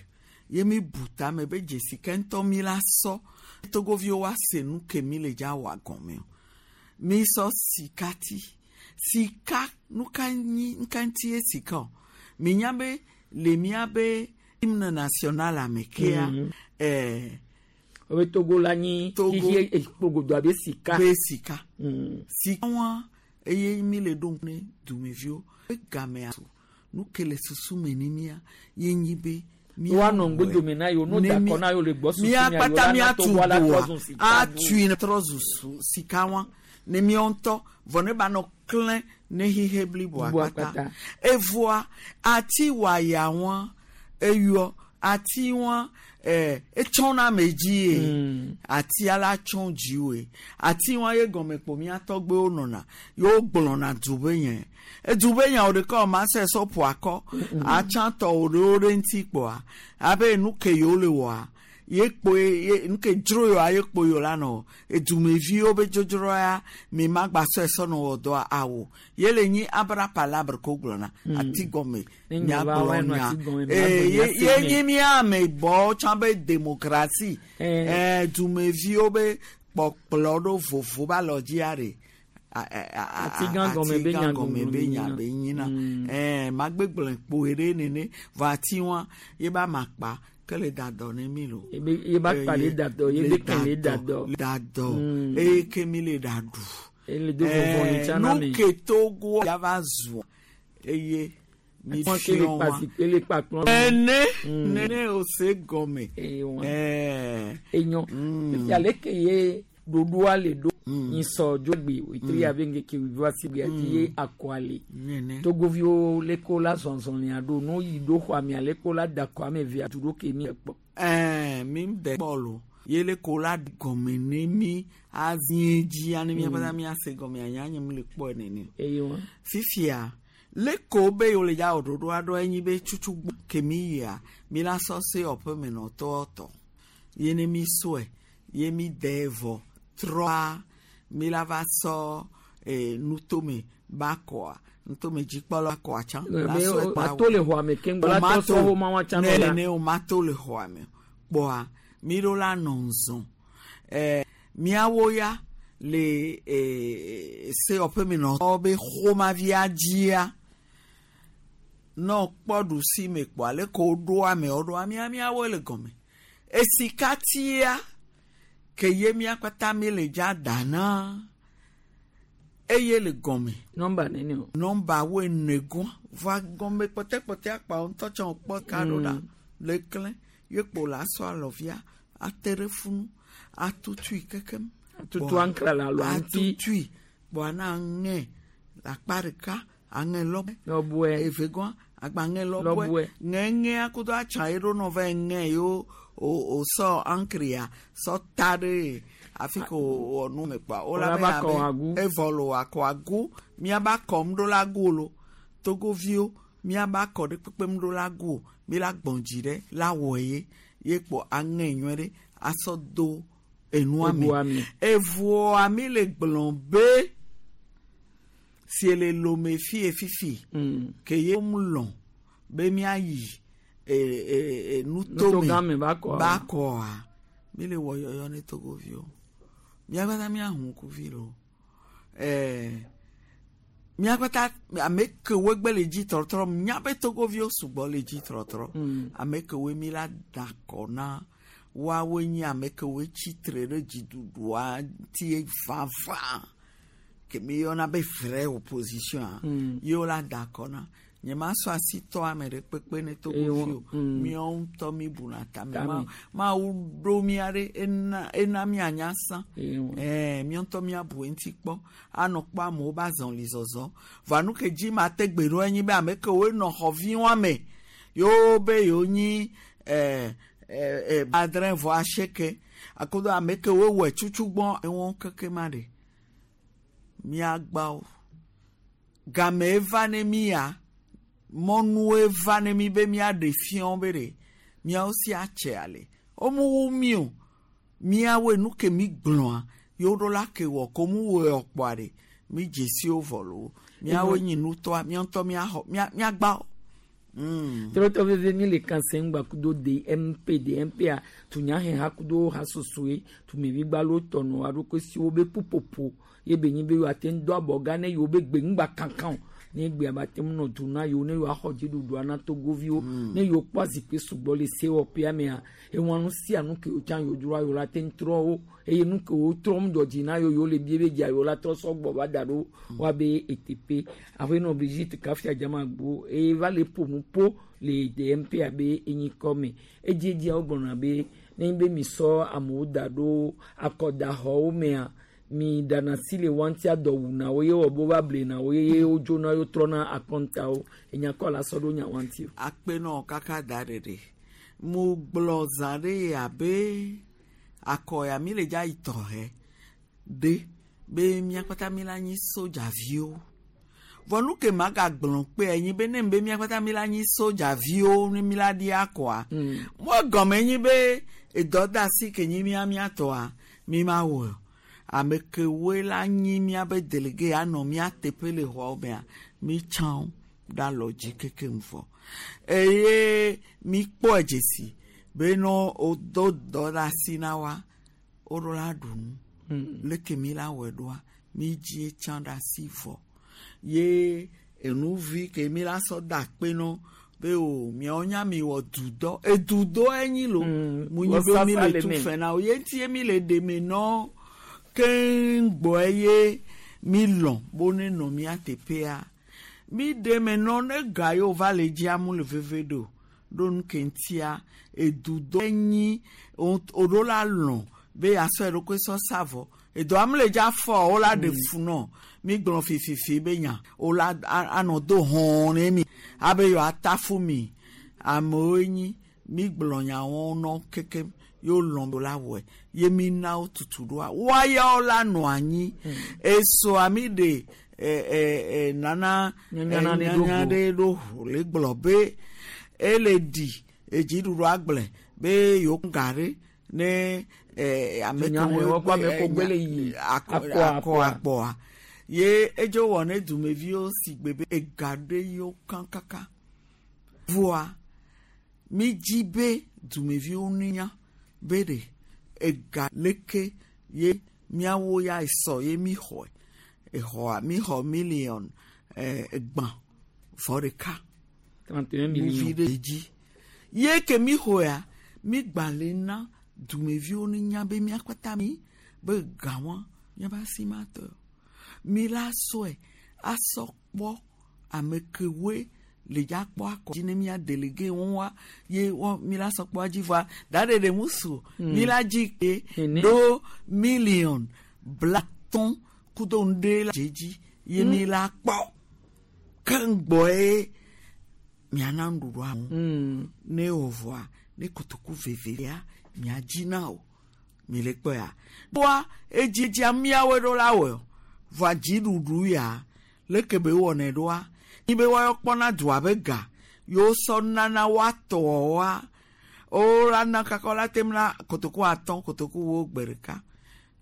ye mi bu tame be dzesi ke ŋutɔ mi la sɔ togoviwo wa se nu ke mi le dza wɔ gɔme o mi sɔ sikati sika nuka nyi nuka ŋuti ye sika o mi nya be le mia be hymne national ame kea Wobe Togo la nyi Togo. xixe ekpogodo abe sika. Be sika. Sika wa eye mi le ɖo ne dumeviwo be gamea su nu ke le susu me ni mía ye nyi be Woanɔ ŋgbodome na yewo, no da akɔ na yewo le gbɔsusu mía mia, yewo kpata la na míatu Togoa la doa trɔ zu sika bu. atui trɔ zu su sika wa ne míawo ŋutɔ vɔ ne ba nɔ klẽ ne xixe bliboa Bliboa kpata kpata. evɔa ati waya wa eyɔ ati wa etsɔna ame dzi ye atia la tsɔ dziwoe ati wa ye gɔme kpo mía tɔgbewo nɔna yewo gblɔna du be nye edu be nya wo ɖeka o ma se sɔ ƒo akɔ atsãtɔ wo ɖewo ɖe ŋuti kpoa abe nu ke yewo le wɔa ye kpoe ye nu ke dzro yewoa ye kpo yewo la nɔ edumeviwo be dzodzro ya mi ma gba sɔe sɔ nɔ wɔ dɔa awo ye le nyi abra palabra ko gblɔna ati gɔme Ne nya va nyagblɔ wa nɔ nya ati gɔme, ee ma ye gblɔ nya ye se me. nyi mía ame bɔ tsã be demokrasi dumeviwo be kpɔkplɔ ɖo vovo ba lɔ dzia ɖe Ati gã gɔme be nya gɔme be nya be nyina magbegblẽ kpoe ɖe nene vɔ ati wa ye ba ma kpa ke le da dɔ ne mi lo Ye ba kpa le da dɔ, ye be kɛ le da dɔ. le da dɔ eye ke mi le da ɖu Ele do vɔvɔ ni tsã na nu mi. ke Togo ya va zu eye mi Wọn ke le fiɔ kpa wa zikpui le kpa kplɔ. nene nene o se gɔme Enyo. Fifia leke ye ɖoɖoa le ɖo nyisɔ dzogbe wetri abe ŋkeke wuiva si gbea dzi ye akɔa le. Nene. Togoviwo leke la zɔzɔlia ɖo no yi ɖo xɔa mia leke la da akɔ ame evea du ɖo ke mi kpɔ. Mi de kpɔ lo ye le ko la gɔme ne mi azi dzi ani mía kpata míase gɔme anya nye mi le kpɔe nene. Eye wa. Fifia le ko be yewo le dza wɔ ɖoɖo aɖo enyi be tsutsu gbɔ ke mi yia mi la sɔ se ɔƒe me nɔtɔwo tɔ ye ne mi sɔe ye mi de vɔ trɔa mi la va sɔ nutome ba kɔa nutome dzikpɔla kɔa tsã la Be sɔe o- kpa ato le xɔa me keŋ gbɔ la tɔ sɔ xɔ ma wa tsã nɔ ne la. ne o ma to le xɔa me kpɔa mi ɖo la nɔ nzɔn miawo ya le sewɔƒemenɔtɔwo be xɔmavia dzia nɔ kpɔ ɖusi me kpɔa leke woɖo amewo ɖoa mía míawoe le gɔme esikatia ke ye mía kpata mi le dza dana eye le gɔme. Nɔmba nene o. Nɔmba wo ene gɔn va gɔme kpɔtɛkpɔtɛ akpawo ŋutɔ tsɛ wokpɔ ka ɖo ɖa le klẽ ye kpo la sɔ alɔvia ate ɖe funu atutui kekem. Atutu aŋkra le alɔa ŋuti. Atutui kpɔa na aŋe le akpa ɖeka aŋe lɔbɔe. Lɔbɔe. Eve gɔn agba ŋe lɔbɔe. Lɔbɔe. Ŋeŋea kudo atsa ye ɖo nɔ va ŋe yewo o o sɔ aŋkria sɔ ta ɖe afi ko wɔ nu me kpɔa. Wola be va abe kɔ agu. Evɔ lo akɔ agu míaba kɔm ɖo la gu lo togoviwo míaba kɔ ɖe kpekpem ɖo la gu o mi la gbɔn dzi ɖe la wɔ ye ye kpɔ aŋe nyuie ɖe asɔ do enua me Egoa me. evɔa mi le gblɔ be si le lome fie fifi ke ye mu lɔn be míayi nutome Nutogã me ba kɔa. ba kɔa mi le wɔ yɔyɔ ne togoviwo míakpata míahu ŋkuvi lo míakpata ame kewoe gbe le dzi trɔtrɔ míabe togoviwo sugbɔ le dzi trɔtrɔ ame kewoe mi la da kɔ na woawoe nye ame kewoe tsitre ɖe dziɖuɖua ŋuti vavã ke mi yɔna be vrai opposition a yewo la da kɔ na Nye ma sɔ asi tɔ ame ɖe kpekpe ne togovi o. Míawo ŋutɔ mi buna tame. Tame. Mawu ɖo mía ɖe ena míanya sã. Ewo. Ɛɛ, míawo ŋutɔ míabu eŋuti kpɔ. Anɔ kpɔ amewo be azɔli zɔzɔ. Vɔa nu ke dzi ma te gbe ɖo enyi be ame kewoe nɔ xɔviwoa me, yewo be yewo nyi 89 akodo ame kewoe wɔe tsutsugbɔ ewo keke ma ɖe. Míagbawo. Game va ne mía, mɔnue va ne mi be míaɖe fiɔ be ɖe míawo si atse ale. Womewu mí o. Míawoe nu ke mi gblɔa, yewo ɖo la ke wɔ ko mu wɔe kpɔa ɖe. Mi dzesiwo vɔ loo. Míawoe nyi nutɔa, míawo ŋutɔ míaxɔ, míagba wo. Trɔtɔ veve mi le kanse ŋgba kudo DMP, DMP a tunyaheha kudo hasosoe tumevigbalo tɔnɔ aɖokui siwo be ƒuƒoƒo ye be nyi be yewoate ŋu do abɔga ne yewo be gbe ŋgba kankan o. Ne gbea ba te ŋu nɔ du na yewo ne yewoaxɔ dziɖuɖua na togoviwo. Ne yewo kpɔ zikpui sugbɔ le sewɔƒea mea, ewa nu sia nu ke wotsã yewo dzroa yewo la te ŋu trɔ wo eye nu ke wotrɔ ŋu dzɔ dzi na yewo yewo le bie be dzia yewo la trɔ sɔgbɔ va da ɖo woabe eteƒe. Aƒenɔ Brigitte Kafia Dzamagbo eye va le ƒo nu ƒo le DMP abe enyikɔ me. Edziedzia wogblɔna be ne be mi sɔ amewo da ɖo akɔdaxɔwo mea, mi ɖana si le wa ŋuti adɔ wuna wo ye wɔ be wova blena wo ye wodzona ye wotrɔna akɔntawo. Enyakɔ la sɔ ɖo nya wa ŋuti o. Akpenɔ kaka da ɖeɖe. Mo gblɔ zã ɖe abe akɔ ya mi le dza yi tɔxɛ ɖe be mía kpata mi la nyi sodzaviwo. Vɔ nu ke magagblɔ kpea nyi be ne be mía kpata mi la nyi sodzaviwo ne mi la ɖi akɔa. Mo gɔme nyi be edɔ da asi ke nyi mía mía tɔa mi ma wɔ. Ame kewoe la nyi míabe delege anɔ mía teƒe le xɔawo mea, mi tsã wo ɖe alɔ dzi kekeŋ vɔ. Eye mi kpɔe dzesi be ne wodo dɔ ɖe asi na woa, woɖo la ɖu nu. Leke mi la wɔe ɖoa, mi dzi tsã ɖe asi vɔ. Ye enuvi ke mi la sɔ da akpe nɔ be o miawo nya mi wɔ dudɔ. Edudɔ enyi lo. Mu nyi be mi le tu fɛ na wo. Ye ŋuti ye mi le ɖe me nɔ keŋ gbɔ ye mi lɔ̃ bo ne nɔ mía teƒea. Mi ɖe me nɔ ne ga yiwo va le dzia mu le veve ɖo. Ɖo nu ke ŋutia edudɔ enyi woɖo la lɔ̃ be yeasɔ eɖokui sɔ sa vɔ. Edɔa mu le dza fɔ wo la ɖe fu nɔ. Mi gblɔ fififi be nya wo la anɔ do hɔn ne mi abe yewoata fu mi. Amewoe nyi mi gblɔ nyawo nɔ kekem yewo lɔ̃ be la wɔe. Ye mi na wo tutu ɖoa woayawo la nɔ anyi. Esɔa mi ɖe nana Nyanya ɖe ɖo nyanya go. ɖe ɖo ho le gblɔ be ele ɖi edziɖuɖu agblẽ be yewo ga ɖe ne ame Nya kewo wɔ kɔ ame gbe, ko gbe le nya, yi akɔ, akɔ, akɔ, akɔa. akpɔa. Ye edzo wɔ ne dumeviwo si gbe be ega ɖe yewo kã kaka. Vɔa mi dzi be dumeviwo nunya be ɖe ega leke ye míawo ya esɔ ye mi xɔe. Exɔa mi xɔ miliɔn 31. 31 Nuvi millions. ɖe dzi. Ye ke mi xɔea, mi gbalẽ na dumeviwo nunya be mía kpata mi be gawa míabe asi ma tɔ. Mi la sɔe asɔ kpɔ ame kewoe le dza kpɔ akɔ dzi ne mía delege wo wa ye wɔ mi la sɔ kpɔ dzi vɔa da ɖe ɖe ŋu su. Mi la dzi ke Ene. ɖo miliɔn 50 kudo ŋɖe la dze dzi ye mi la kpɔ keŋgbɔe miana nuɖuɖua wo. Ne wò vɔa ne kotoku vevea miadzi na o mi le kpɔa. Vɔa edzedzia míawoe ɖo la wɔe o. Vɔa dziɖuɖu ya leke be wɔnɛ ɖoa nyi be woayɔ kpɔna dua be ga yewo sɔ nana woatɔwoa wola na kaka wola tem na kotoku 5 kotoku 10 gbe ɖeka.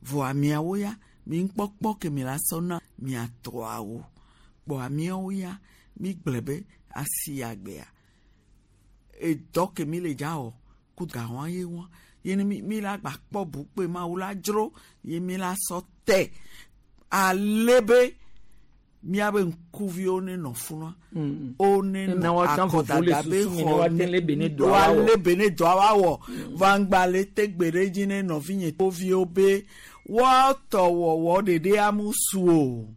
Vɔa miawo ya mi ŋkpɔkpɔ ke mi la sɔ na miatɔawo. Kpɔa miawo ya mi gblẽ be asi ya gbea. Edɔ ke mi le dza wɔ ku gawa ye wa ye ne mi la gba kpɔ bukpe mawu la dzro ye mi la sɔ tɛ ale be miabe ŋkuviwo ne nɔ funua. O ne Na nɔ woatã vovo le akɔdada be susu me ne xɔ woate le be ne dɔa woawɔ. woale be ne dɔa woawɔ. Vangba le te gbe ɖe dzi ne nɔvinye toviwo be woatɔ wɔwɔ ɖeɖe amu su o.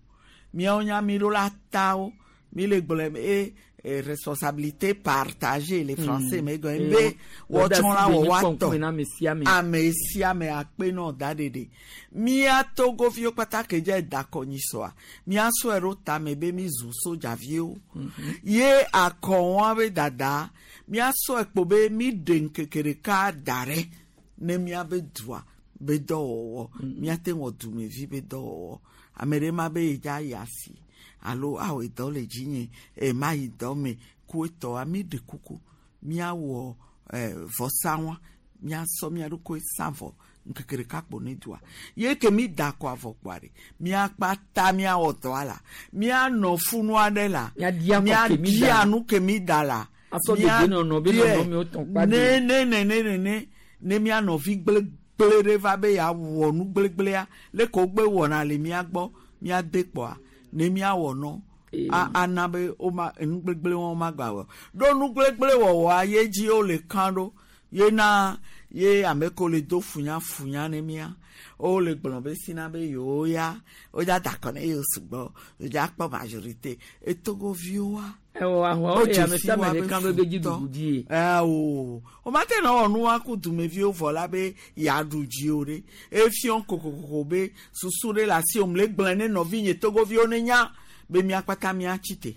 Miawo nya mi ɖo la ta wo. Mi le gblɔe be e, responsabilité partagée le français me gɔme Eh, be wo- wɔtsɔ la dɔdeasi wɔ be nyi woatɔ kpɔnkpɔn na ame sia ame. ame sia ame akpe nɔ da ɖeɖe mía togoviwo kpata ke dze da kɔnyi sɔa míasɔe ɖo tame be mi zu sodzaviwo ye akɔwɔa be dada míasɔe kpo be mi ɖe ŋkeke ɖeka da ɖe ne míabe dua be dɔwɔwɔ míate wɔ dumevi be dɔwɔwɔ ame ɖe ma be yi dza yi asi alo awɔ dɔ le dzinye e ma yi dɔ me ku etɔa mi ɖe kuku míawɔ vɔsa wa míasɔ mía ɖokui sa vɔ ŋkeke ɖeka kpo ne dua ye ke mi da kɔ avɔ kpoa ɖe míakpata míawɔ dɔa la míanɔ funu aɖe la Míaɖia kɔ ke mi da. míaɖia nu ke mi da la Asɔ dedienɔnɔ be nɔnɔmewo tɔn kpa ne de. ne ne ne ne ne ne mía nɔvi gblégblé ɖe va be yeawɔ nu gblégblea leke wogbe wɔna le mía gbɔ míade kpɔa ne míawɔ nɔ a ana be woma enu gblegble wɔn ma gba wɔ ɖo nu gblegble wɔwɔa ye dzi wole kan ɖo ye na ye ame kewo le do funyafunya ne mía wole gblɔ be sina be yewo ya wodza da akɔ ne yewo sugbɔ wodza kpɔ majorité etogoviwoa Ewɔ ahua eye ame sia ame ɖe kan ɖo be dzi ɖuɖu dzi ye. o womate nɔ wɔ nu wa ku dumeviwo vɔ la be yeaɖu dzi o ɖe efiɔ kokokoko be susu ɖe le asi wòm le gblẽ ne nɔvinye togoviwo ne nya be míakpata míatsi te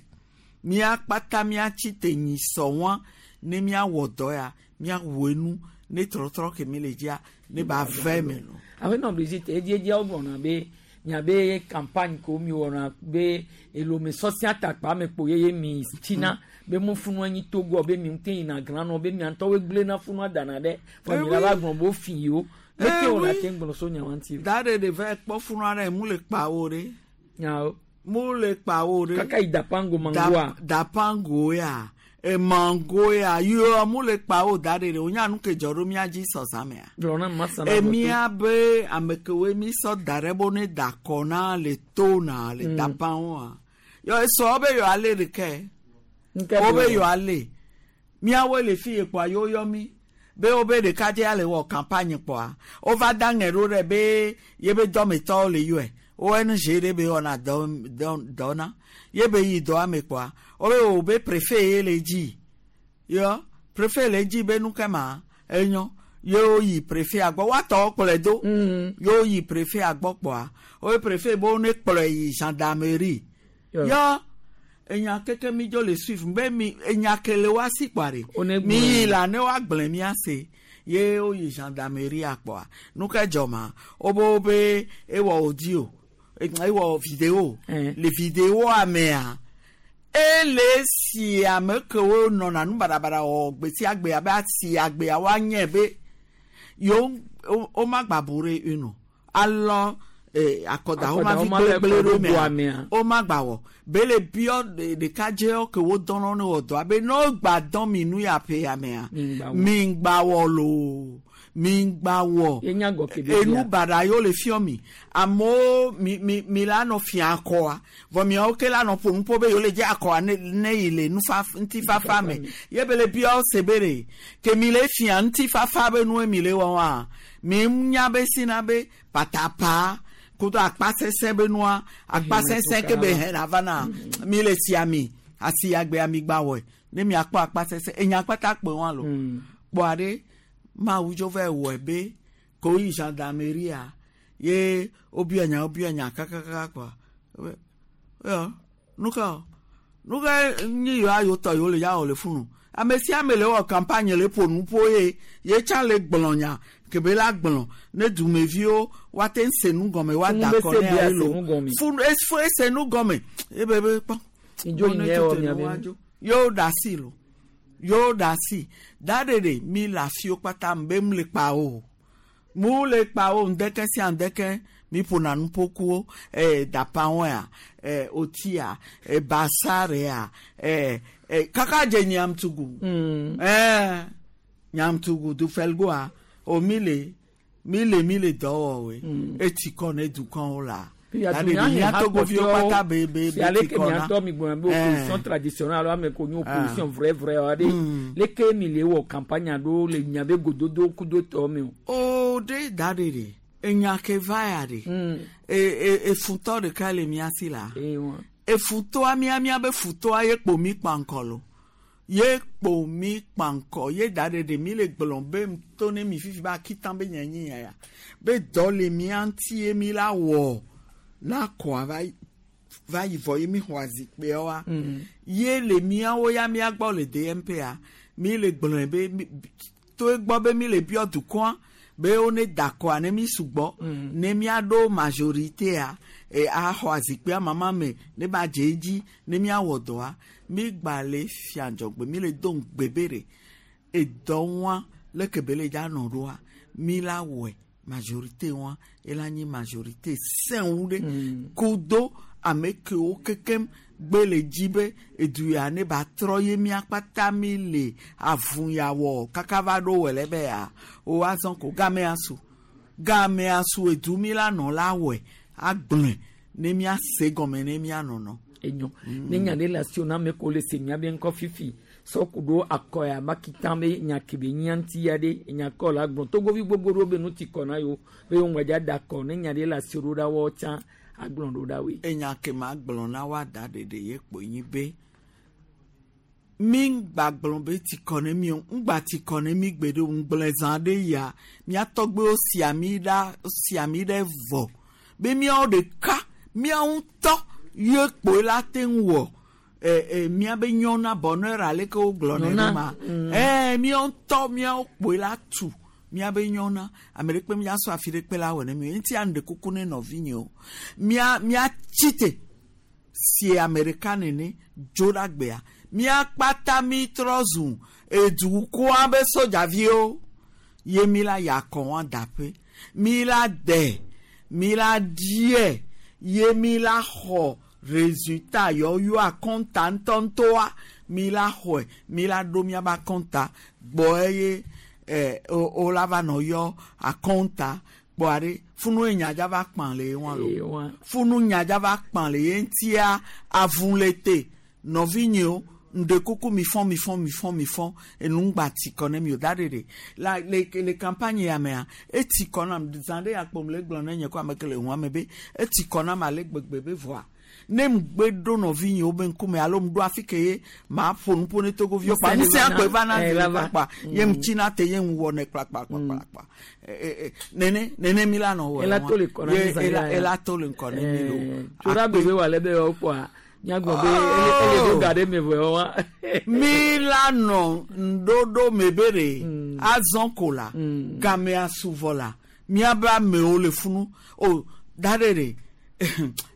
míakpata míatsi te nyisɔ wa ne míawɔ dɔ ya míawɔ enu ne trɔtrɔ ke mi le dzia ne ba vɛ me lo. Aƒenɔ Brigitte edziedzia wogblɔna be miabe campagne ko mi wɔna be elome sɔsia takpa me kpo yeye mi tsina be mo funua nyi togoa be mi ŋute yina granɔ be mia ŋutɔwoe gblẽna funua dana ɖe vɔ mi la va gblɔ be wo fi yewo leke Eh wòle oui. ate ŋu gblɔ so nya wa ŋuti. Da ɖe ɖe va kpɔ funua ɖe mu le kpawo ɖe. Nyawo. Mu le kpawo ɖe. Kaka yi dapango mangoa. Dapango ya emango ya yɔ mu le kpawo da ɖe ɖe wonya nu ke dzɔ ɖo mía dzi sɔsã mea. Gblɔ na masa na Emia be ame kewoe mi sɔ da ɖe bo ne da kɔ na le to na le dapawoa. Yɔ esɔ be yɔ ale ɖeke. Nke Wo be be yɔ ale. Míawoe le fi ye kpoa yewo yɔ mí be wobe ɖekadze le wɔ campagne kpoa wova da ŋe ɖo ɖe be yebe dɔmetɔwo le yɔe ONG ɖe be wɔna dɔ dɔ dɔ na yebe yi dɔa me kpoa wobe wo be préfet ye le dzi yɔ préfet le dzi be nu ke ma enyo yewo yi préfet gbɔ woatɔwo kplɔe do yewo yi préfet gbɔ kpoa wobe préfet be wo ne kplɔe yi gendarmerie yɔ enya keke mi dzo le suivre be mi enya ke le wa si kpoa ɖe mi yi la ne woagblẽ mía se ye woyi gendarmerie akpɔa nu ke dzɔ ma wobe wobe ewɔ audio ewɔ vidéo le vidéoa mea ele si ame kewo nɔna nu baɖabaɖa wɔ gbe sia gbe abe asi agbea woanye be yewo woma gba bu ɖe enu alɔ akɔda woma vi gblégblé ɖo mea woma gba wɔ be le biɔ ɖekadzewo ke wo dɔnɔ ne wɔ dɔ abe ne wo gba dɔn mi nu ya ƒe ya mea mi ŋgba wɔ loo mi ŋgba wɔ enu baɖa yiwo le fiɔ mi amewo mi mi mi la nɔ fia akɔa vɔ miawo ke la nɔ ƒo nuƒo be yewo le dze akɔa ne ne yi le nufafa ŋutifafa me ye be le biɔ se be ɖe ke mi le fia ŋutifafa be nue mi le wɔ wa mi nya be sina be patapa kudo akpasɛsɛ be nua akpasɛsɛ ke be hɛn ava na mi le si ami asi agbe ami gba wɔe ne miakpɔ akpasɛsɛ enya kpata kpe wa lo kpɔa ɖe mawu dzo va wɔe be ko yi gendarmerie ye wobiɔ nya wobiɔ nya kakaka kpɔa yɔ nuka nuka nyi yewoa yewo tɔ yewo le ya wɔ le funu ame sia ame le wɔ campagne le ƒo nuƒo ye ye tsã le gblɔ nya kebe la gblɔ ne dumeviwo woate ŋu se nu gɔme woada Funu kɔ be ne se bia ayi lo se nu gɔme. funu efu ese nu gɔme ebe be kpɔ Idzo Wo ne yi nye wɔ tete mia nu be- woadzo. yewo ɖe asi lo yewo ɖe asi da ɖeɖe mi le afiwo kpata be mu le kpa o mu le kpa o ŋdeke sia ŋdeke mi ƒona nuƒokuwo dapawoa otia basarea kaka dze nyamtugu nyamtugu dufelgoa o mi le mi le mi le dɔ wɔwoe eti kɔ ne dukɔwo la Da ɖeɖe mía togoviwo kpata be be be ale ti ke kɔ na. miatɔ mi gblɔ be opposition traditionnelle alo ame ko nye opposition vrai vrai wa ɖe leke mi le wɔ campagne ɖo le miabe gododo kudo tɔ me o. O ɖe da ɖeɖe enya ke va ya ɖe e e efuntɔ ɖeka le mía si la. Efutoa mía míabe futoa ye kpo mi kpankɔ lo. Ye kpo mi kpankɔ ye da ɖe ɖe mi le gblɔ be to ne mi fifi be akitan be nye nyi ya ya. Be dɔ le mía ŋuti ye mi la wɔ na kɔa va yi va yi vɔ ye mi xɔ azikpuiawoa. Ye le míawo ya mía gbɔ le DMP-a mi le gblɔe be mi- to egbɔ be mi le biɔ dukɔa be wo ne da kɔa ne mi sugbɔ ne míaɖo majoritéa e, axɔ azikpuia mama me ne ba dze edzi ne míawɔ dɔa mi gba le fiadzɔgbe mi le do ŋugbe be ɖe edɔ wa leke be le dza nɔ ɖoa mi la wɔe majorité wa ela nyi majorité sẽŋu ɖe kudo ame kewo kekem gbe le dzi be edu ya ne ba trɔ ye mía kpata mi le avu ya wɔ kaka va ɖo wɔ le be ya o azɔ ko gamea su gamea su edu mi la nɔ la wɔe agblɔe ne mía se gɔme ne mía nɔnɔ. Enyo ne nya ɖe le asiwò na ame ko le se mía be ŋkɔ fifi sɔ ku ɖo akɔ ya makita be nya ke be nyia ŋuti ya ɖe enya kɔ la gblɔ togovi gbogbo ɖewo be nu ti kɔ na yewo be yewo ŋgba dza da akɔ ne nya ɖe le asiwò ɖo ɖa woawo tsã agblɔ ɖo ɖa woe. Enya ke ma gblɔ na woada ɖeɖe ye kpo nyi be mi ŋgba gblɔ be ti kɔ ne mi o ŋgba ti kɔ ne mi gbe ɖe o ŋgblẽ zã ɖe ya mía tɔgbewo si ami ɖa si ami ɖe vɔ be míawo ɖeka míawo ŋutɔ ye kpoe la te ŋu wɔ ɛ ɛ míabe nyɔna bonheur aleke wogblɔ ne Nyɔna, ɖo ma ɛ míawo ŋutɔ míawo kpoe la tu míabe nyɔna ame ɖe kpe míasɔ afi ɖe kpe la wɔ ne mi ŋuti anu ɖe kuku ne nɔvinyewo mía míatsi te sie ame ɖeka nene dzo ɖe agbea mía kpata mi trɔ zu edukɔa be sodzaviwo ye mi la yi akɔ wa daƒe mi la de mi la die ye mi la xɔ résultat yɔyɔ akɔnta ŋutɔŋutɔa mi la xɔe mi la ɖo miabe akɔnta gbɔ eye ɛ o o la va nɔ yɔ akɔnta kpɔa ɖe funu ye nyadza va kpã le ye wa lo Ye wa. funu nyadza va kpã le ye ŋutia avu le te nɔvinyewo ŋɖe kuku mi fɔn mi fɔn mi fɔn mi fɔn enu ŋgba ti kɔ ne mi o da ɖe ɖe la le le campagne ya mea eti kɔ nam zã ɖe ya kpɔm le gblɔ ne nye ko ame ke le hua me be eti kɔ nam ale gbegbe be vɔa ne ŋgbe ɖo nɔvinyewo be ŋkume alo ŋɖo afi ke ye ma ƒo nu ƒo ne togoviwo kpa Ŋusẽ ŋusẽ va na- akpe va na eh, zi va ɖeka va. kpa ye ŋutsina te ye ŋu wɔnɛ kplakplakplakpla nene nene mi la nɔ wɔ Ela to le kɔ na mi zã ela ya ya. ela to le ŋkɔ ne mi lo tso ɖa gbe be wòale be yewoa kpɔa míagblɔ be ele ele ɖo ga ɖe me vɔ yewoa. mi la nɔ ŋɖoɖo me be ɖe azɔ ko la gamea su vɔ la míabe amewo le funu o da ɖe ɖe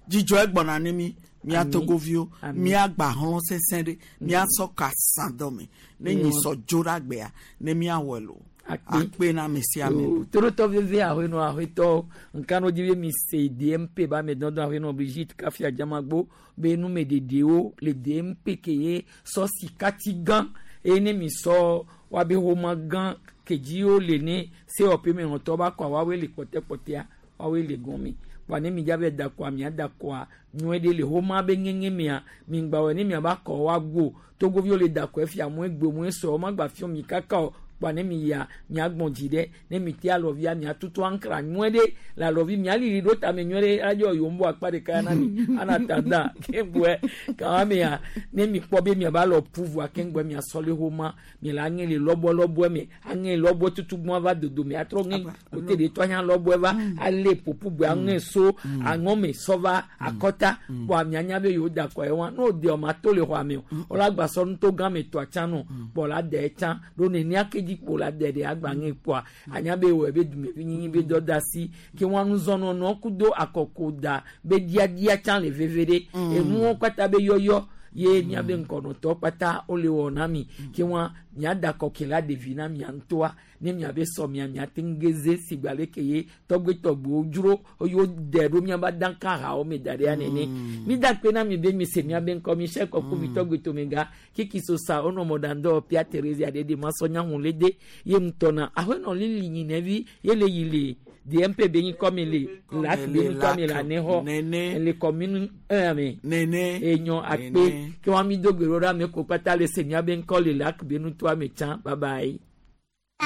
dzidzɔ egbɔna ne mi mía Ami. togoviwo Ami. míagba hlɔ̃ sesẽ ɖe míasɔ ka sã dɔme ne nyi sɔ dzo ɖe agbea ne míawɔe lo akpe na ame sia ame. torotɔ veve ahenɔ ahetɔ nkano dzi be mi se dmp ba ame dɔdɔ ahenɔ brigitte kafi adzamagbo be numeɖeɖewo le dmp ke ye sɔ sikati gã eye ne mi sɔ woabe xɔma gã ke dzi wo le ne sewɔƒe me nɔtɔ ba kɔa woawoe le kpɔtɛkpɔtɛa woawoe le gɔme kpa ne mi dza be da kɔa mia da kɔa nyuie ɖe le xɔma be ŋeŋe mea mi ŋgba wɔ ne miaba kɔ woago togoviwo le da kɔ efia mue gbe mue sɔ wo ma gba fiɔ mi kaka o kpa ne mi yia miagbɔn dzi ɖe ne mi te alɔvia miatutu ankra nyuie ɖe le alɔvi mialili ɖo tame nyuie ɖe adzɔ yombo akpa ɖeka ya na mi ana ta da keŋgbɔe kama mia ne mi kpɔ be miaba lɔ ƒu voa keŋgbɔe miasɔ le xɔma mi le aŋe le lɔbɔlɔbɔe me aŋe lɔbɔe tutu gbɔn va dodo me atrɔ ŋe kote ɖe tɔ anya lɔbɔe va ale ƒoƒu gbe aŋe so aŋɔme sɔ va akɔta kpɔ mianya be yewo da kɔ ye wa n'o de ɔma to le xɔa me o wòle agbasɔ nuto gã me tɔa tsã nɔ kpɔ la de tsã ɖo nenia ke dzi kpo la de ɖe agba ŋe kpɔa anya be wɔ be dumevi nyinyi be dɔ da si ke wɔn nuzɔnɔnɔ kudo akɔko da be diadia tsã le veve ɖe enuwo kpata be yɔyɔ ye miabe ŋkɔnɔtɔ kpata wole wɔ na mi ke wɔn miada kɔkɛ la ɖevi na mia ŋutɔa ne miabe sɔ mia miate ŋu geze sigba leke ye tɔgbetɔgbewo dzro eye woɖe ɖo miaba danka hawo me da ɖe ya nene mi da kpe na mi be mi se miabe ŋkɔ mi se kɔku mi tɔgbetɔmega kiki sosa wonɔ mɔɖaŋdɔ pia teresia ɖe de masɔ nyahu le de ye ŋutɔ ahenɔ lili nyinɛvi ye le yi le dmp be nyi kɔ mi le lac be nyi kɔ mi le anexɔ le commune 1 me nene enyɔ akpe ke wa mi do gbe ɖo ɖe ame ko kpata le se miabe ŋkɔ le lac be nutoa me tsã bye bye.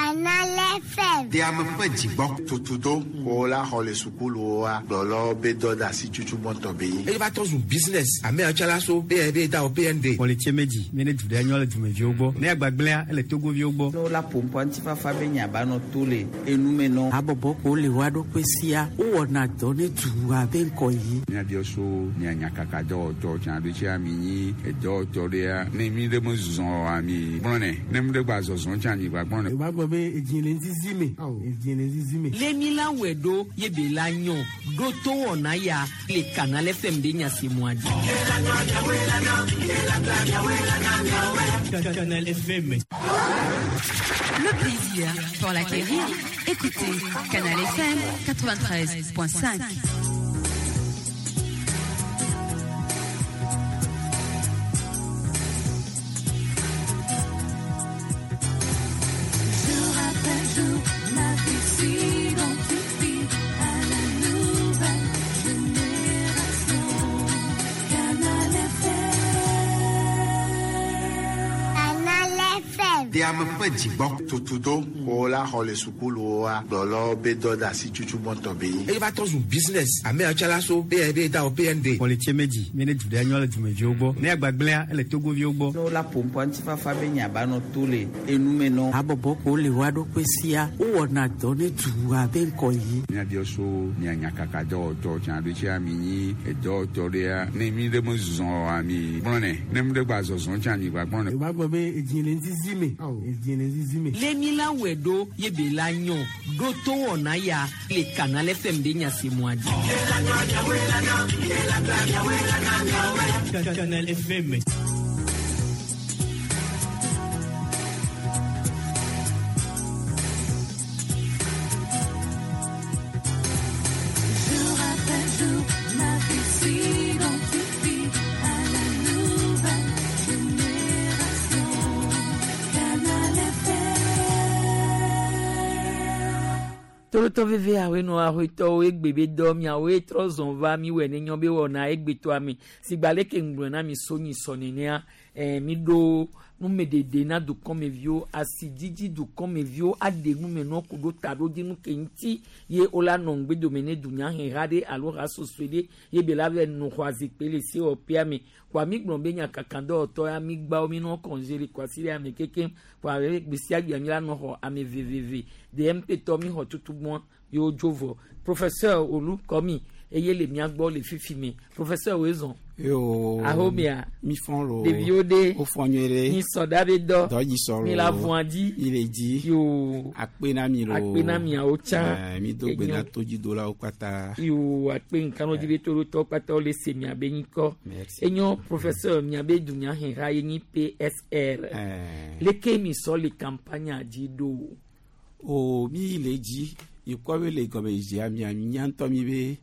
Canal FM. De ame ƒe dzigbɔ tutudo ko la xɔ le sukuluwoa gblɔlɔ be dɔ da asi tutu gbɔntɔ be yi. Eye va tɔ zu business ame yawo tsã la so be be da o PND. Kpɔlitse medzi mi ne du ɖe nyɔ le dumeviwo gbɔ ne agbagblẽa ele togoviwo gbɔ. Ne wola ƒoƒoa ŋutifafa be nya ba nɔ to le enume nɔ. Habɔbɔ ko le wa ɖokui sia wowɔna dɔ ne dua be ŋkɔ yi. Míabiɔ so mia nyakaka dɔwɔtɔ tsã ɖo tsia mi nyi edɔwɔtɔ ɖea ne mi ɖe me zɔ oa mi gblɔnɛ ne mi ɖe gba zɔzɔ tsã mi gba gblɔnɛ. Eva gblɔ be edzi le ŋzizi me. Edzi le ŋzizi me. Le mi la wɛ ɖo ye be la nyɔ ɖo to wɔna ya le Canal FM be nya si mua dzi. Canal FM. Le plaisir pour l'acquérir, écoutez Canal FM 93.5. Jour après jour, ma vie s'identifie à la nouvelle génération. Canal FM. Canal FM. De ame ƒe dzigbɔ tutudo ko la xɔ le sukuluwoa gblɔlɔ be dɔ da asi tutu gbɔntɔ be yi. Eye va tɔ zu business ame yawo tsã la so be be da o PND. Kpɔlitse medzi mi ne du ɖe nyɔ le dumeviwo gbɔ ne agbagblẽa ele togoviwo gbɔ. Ne wola ƒoƒoa ŋutifafa be nya ba nɔ to le enume nɔ. Habɔbɔ ko le wa ɖokui sia wowɔna dɔ ne dua be ŋkɔ yi. Míabiɔ so mia nyakaka dɔwɔtɔ tsã ɖo tsia mi nyi edɔwɔtɔ ɖea ne mi ɖe me zɔ oa mi gblɔnɛ ne mi ɖe gba zɔzɔ tsã mi gba gblɔnɛ. Eva gblɔ be edzi le ŋzizi me. Edzi le ŋzizi me. Le mi la wɛ ɖo ye be la nyɔ ɖo to wɔna ya le Canal FM be nya si mua dzi. Canal FM. Jour après jour, ma vie s'identifie à la nouvelle génération. Canal FM. Tolotɔ veve awoe nɔ ahoetɔwo egbe be dɔ miawoe trɔ zɔn va mi wɔ ne nyɔ be wɔna egbetɔa mi sigba leke ŋgblɔ na mi so nyi sɔ nenea mi ɖo numeɖeɖe na dukɔmeviwo asidzidzi dukɔmeviwo aɖe nume nɔ ku ɖo ta ɖo dzi nu ke ŋuti ye wola nɔ ŋgbedome ne dunyaheha ɖe alo hasosoe ɖe ye be la va nɔ xɔ azikpui le sewɔƒea me kɔa mi gblɔ be nyakaka dɔwɔtɔ ya mi gbawo mi nɔ kɔnze le kɔasi ɖe ame kekem kɔa gbe sia gbea mi la nɔ xɔ ame veveve DMP tɔ mi xɔ tutugbɔn yewo dzo vɔ professeur Olu Kɔmi eye le mia gbɔ le fifi me professeur wo zɔn. Yo. Ahomia. Mi fɔn lo. Ɖeviwo ɖe. O fɔn nyuie ɖe. Mi sɔ da be dɔ. Dɔ dzi sɔ lo. Mi la vɔn dzi. Mi le dzi. Yo. Akpe na mi lo. Akpe na miawo tsã. Mi do gbe na todzidolawo kpata. Yo akpe nkanu dzi be toɖotɔwo kpata wole se miabe ŋkɔ. Merci. Enyo professeur miabe dunyaheha ye nyi PSR. Leke mi sɔ le campagne dzi ɖo. O mi le dzi ikɔ be le gɔmedzedzea mia mía ŋutɔ mi be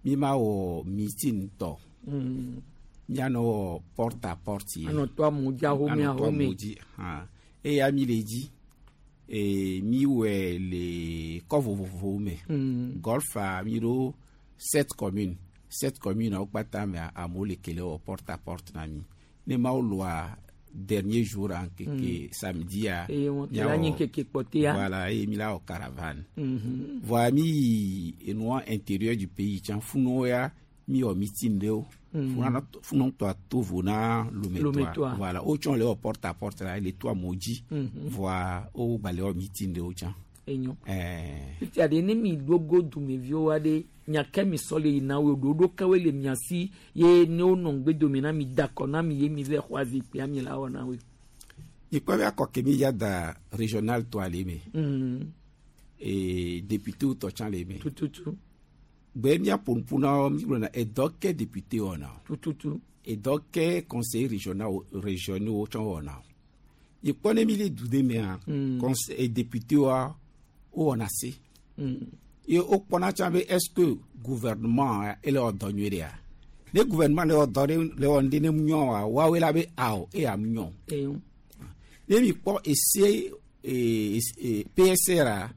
mi ma wɔ meeting tɔ. Mianɔ wɔ porte à porte ye. Anɔ to amewo dzi ahome Anɔ to ahome. amewo dzi hã. Eya mi le dzi mi wɔe le kɔ vovovowo me. Golfa mi ɖo sept communes. Sept communes wo kpata mea amewo le kele wɔ porte à porte na mi. Ne mawo lɔa dernier jour a ŋkeke samedi-a. Eye wɔn miawɔ- la nyi ŋkeke kpɔtɛa. Voilà eye mi la wɔ caravane. Voa mi yi enua intérieur du pays tsã funuwo ya mi wɔ meeting ɖewo. Funua tɔa to vo na Lometɔa. Lometɔa. Voilà wotsɔ le wɔ porte à porte la le to amewo dzi. Voa wo gba le wɔ meeting ɖewo tsã. Enyo. Ɛɛ. Fifia ɖe ne mi ɖo go dumeviwo aɖe nya ke mi sɔ le yina wo ɖoɖo kewoe le mia si ye ne wonɔ ŋgbedome na mi da kɔ na mi ye mi va xɔ azikpuia mi la wɔ na woe. Ikpɔ be akɔ ke mi ya da régional tɔa le eme. Député tɔ tsã le eme. Tututu. Gbe míaƒo nuƒo na wo mi gblɔna edɔ ke député wɔna o. Tututu. Edɔ ke conseil régional régionaux tsã wɔna o. Ikpɔ ne mi le du ɖe mea. Conseil député wa wo wɔna se. Ye wokpɔna tsã be est ce que gouvernement ele wɔ dɔ nyuie ɖea. Ne gouvernement le wɔ dɔ ɖe le wɔ ŋɖe ne mu nyɔ oa woawoe la be awɔ eya mu nyɔ. Eyo. Ne mi kpɔ ese PSR a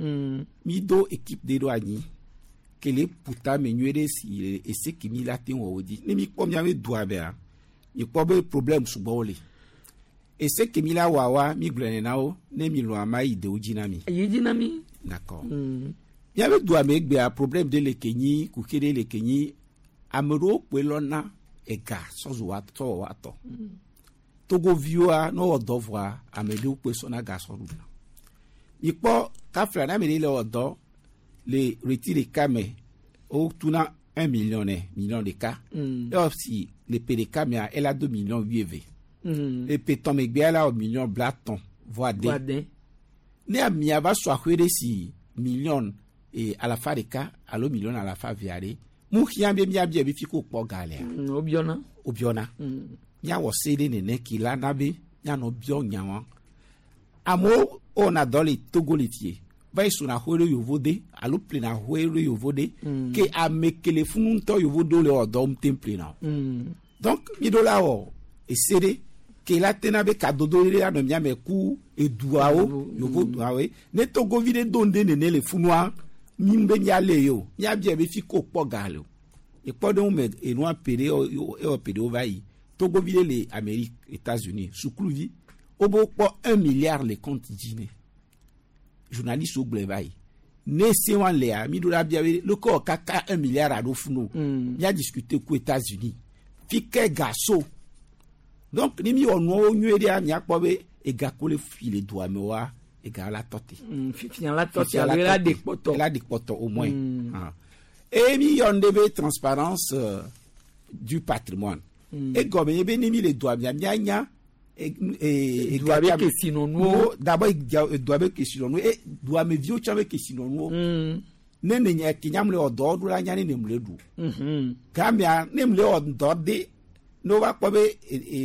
mi do équipe ɖe ɖo anyi kele ƒuta me nyuie ɖe si le ese ke mi la te wɔ wo dzi. Ne mi kpɔ miabe dua mea mi kpɔ be problème sugbɔwo le. Ese ke mi la wa wa mi gblɔe na wo ne mi lɔa ma yi dewo dzi na mi. Yi dzi na mi. D'accord. Míabe dua me egbea problème ɖe le ke nyi kuxi ɖe le ke nyi ame ɖewo kpoe lɔna ega sɔzu wa sɔ wɔ wa tɔ. Togoviwoa ne wowɔ dɔ vɔa ame ɖewo kpoe sɔna ga sɔ ɖuna. Mikpɔ kafla ne ame ɖe le wɔ dɔ le ɣleti ɖeka me wotuna 1 million nɛ million ɖeka. Ewɔ si le ƒe ɖeka mea ela do million 80. Le ƒe tɔn megbea ela wɔ million 50+. Vɔ ade. Ne amea va sɔ aƒe ɖe si million 150 alo million 200 aɖe mu hiã be míabia be fi ko kpɔ ga lea. Wobiɔna. Wobiɔna. Míawɔ se ɖe nene ke la na be míanɔ biɔ nya wa. Amewo wɔna dɔ le Togo le fie va yi sona xoe ɖe yovo de alo ƒlena xoe ɖe yovo de ke ame ke le funu ŋutɔ yovo do le wɔ dɔ ŋute ƒlena o. Donc mi ɖo la wɔ ese ɖe ke la tena be kadodo ɖe anɔ mía me ku eduawo yovo duawoe ne togovi ɖe do ŋɖe nene le funua mi be míalé ye o míabia be fi ko kpɔ ga le o ekpɔ ɖe me enua ƒe ɖe ewɔ ƒe ɖewo va yi togovi ɖe le Amérique, États-Unis, sukuluvi wobe kpɔ 1 milliard le compte dzi ne journaliste wo gblɔe va yi ne se wa lea mi ɖo la bia be leke wɔ kaka 1 milliard aɖo funu o mía discuter ku États-Unis fi ke ga so. Donc ni mi wɔ nuawo nyuie ɖea miakpɔ be ega ko le fi le dua me wa ega la tɔ te. Fifia la tɔ te alo ela ɖe kpɔtɔ. Ela ɖe kpɔtɔ au moins. Ah. Et mi yɔ nu ɖe be transparence du patrimoine. Egɔme nye be ne mi le dua mia mianya Dua be kesinɔnuwo. D'abord dua be kesinɔnuwo e dua me viwo tsã be kesinɔnuwo. Ne ne nye ke nyam le wɔ dɔ ɖo la nya ne ne mu le ɖu. Gamea ne mu le wɔ dɔ de ne wova kpɔ be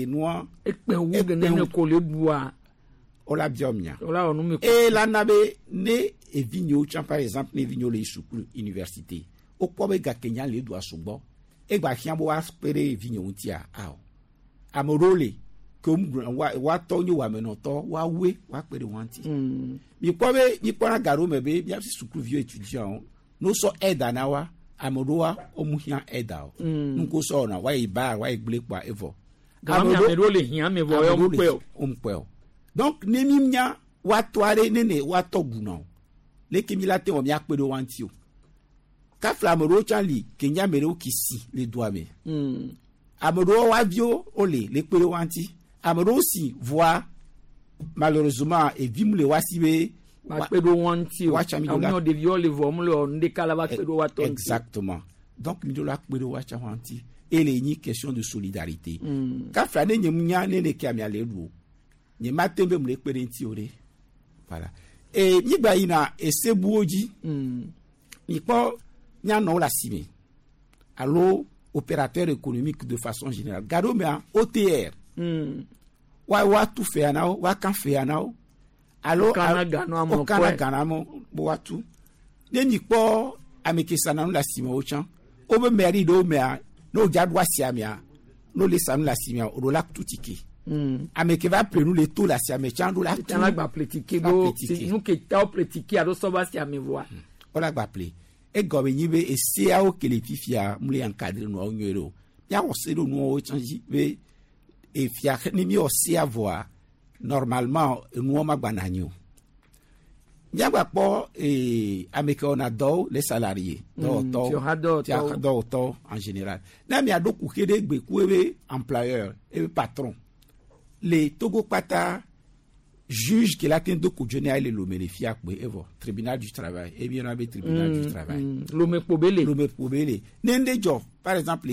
enua. Ekpe wu gene ne ko le ɖua. Wola biɔ mia. Wola wɔ nu me. E la na be ne evinyewo tsã, par exemple ne evinyewo le yi sukulu université wokpɔ be gake nya le doa sugbɔ egba hiã be woakpe ɖe evinyewo ŋutia awɔ ame ɖewo le ke wa woatɔ nye wɔamenɔtɔ woawoe woakpe ɖe wɔa ŋuti. Mikpɔ be mikpɔna ga ɖewo me be miaƒe sukuviwo étudiant ne wosɔ aide na wa ame ɖewoa womu hiã aide o. Nuko sɔ wɔna woayi bar woayi gblẽ kpoa evɔ. Gama ame ɖewo le hiã me vɔ ya womekpɔe o. Womekpɔe o. Donc ne mi nya woatɔ aɖe ne ne woatɔ guna o leke mi la te wɔ miakpe ɖe woa ŋuti o. Kafla ame ɖewo tsã li ke nye ame ɖewo ki si le dua me. Ame ɖewo woa viwo wole le kpe ɖe woa ŋuti. Ame ɖewo si voa malheureusement evi mu le woa si be. Bakpe ɖe woa ŋuti o. Woatsa mi ɖo la. Amewo ɖeviwo le vɔ mu le wɔ nu ɖeka la va kpe ɖe woa tɔ ŋuti. Exactement. Donc mi ɖo la kpe ɖe woatsa woa ŋuti. Et le nyi question de solidarité. Kafla ne nye mu nya ne ne ke amea le ɖu o. Nye ma te be mu le kpe ɖe ŋuti o ɖe. Voilà. Et mi gba yina esebuwo dzi. Mi kpɔ mianɔwo le asime alo opérateur économique de façon générale. Gaɖewo mea OTR. Wa woatu fea na wo, woaka fea na wo. Alo Wokana ga na amewo wokana kɔe. ga na amewo be woatu. Ne mi kpɔ ame ke sana nu le asime wo tsã, wobe mairie ɖewo mea, ne wodza ɖo asia mea, ne wole sa nu le asimea, woɖo la tu tike. Ame ke va ƒle nu le to le asia me tsã ɖo la tu. Tsã la gba ƒle tike La ɖo ƒle tike. nu ke ta wo ƒle tike alo sɔ va asia me vɔa. Wola gba ƒle. Egɔme nyi be eseawo ke le fifia mu le encadrer nuawo nyuie ɖe o. Míawɔ se ɖo nuawo tsã dzi be efia ne míwɔ sea vɔa normalement enuawo ma gba na anyi o. Míagba kpɔ ame ke wɔna dɔwo les salariés dɔwɔtɔwo fiɔhadɔwɔtɔwo. fiɔhadɔwɔtɔwo en général. Ne amea ɖo kuxi ɖe gbe ku ebe employeur ebe patron le Togo kpata juge ke la te do kodzo ne le Lomé le fia kpe evɔ tribunal du travail ebi yɔna be tribunal du travail. Lomé kpo be le. Lomé kpo be le ne ŋɖe dzɔ par exemple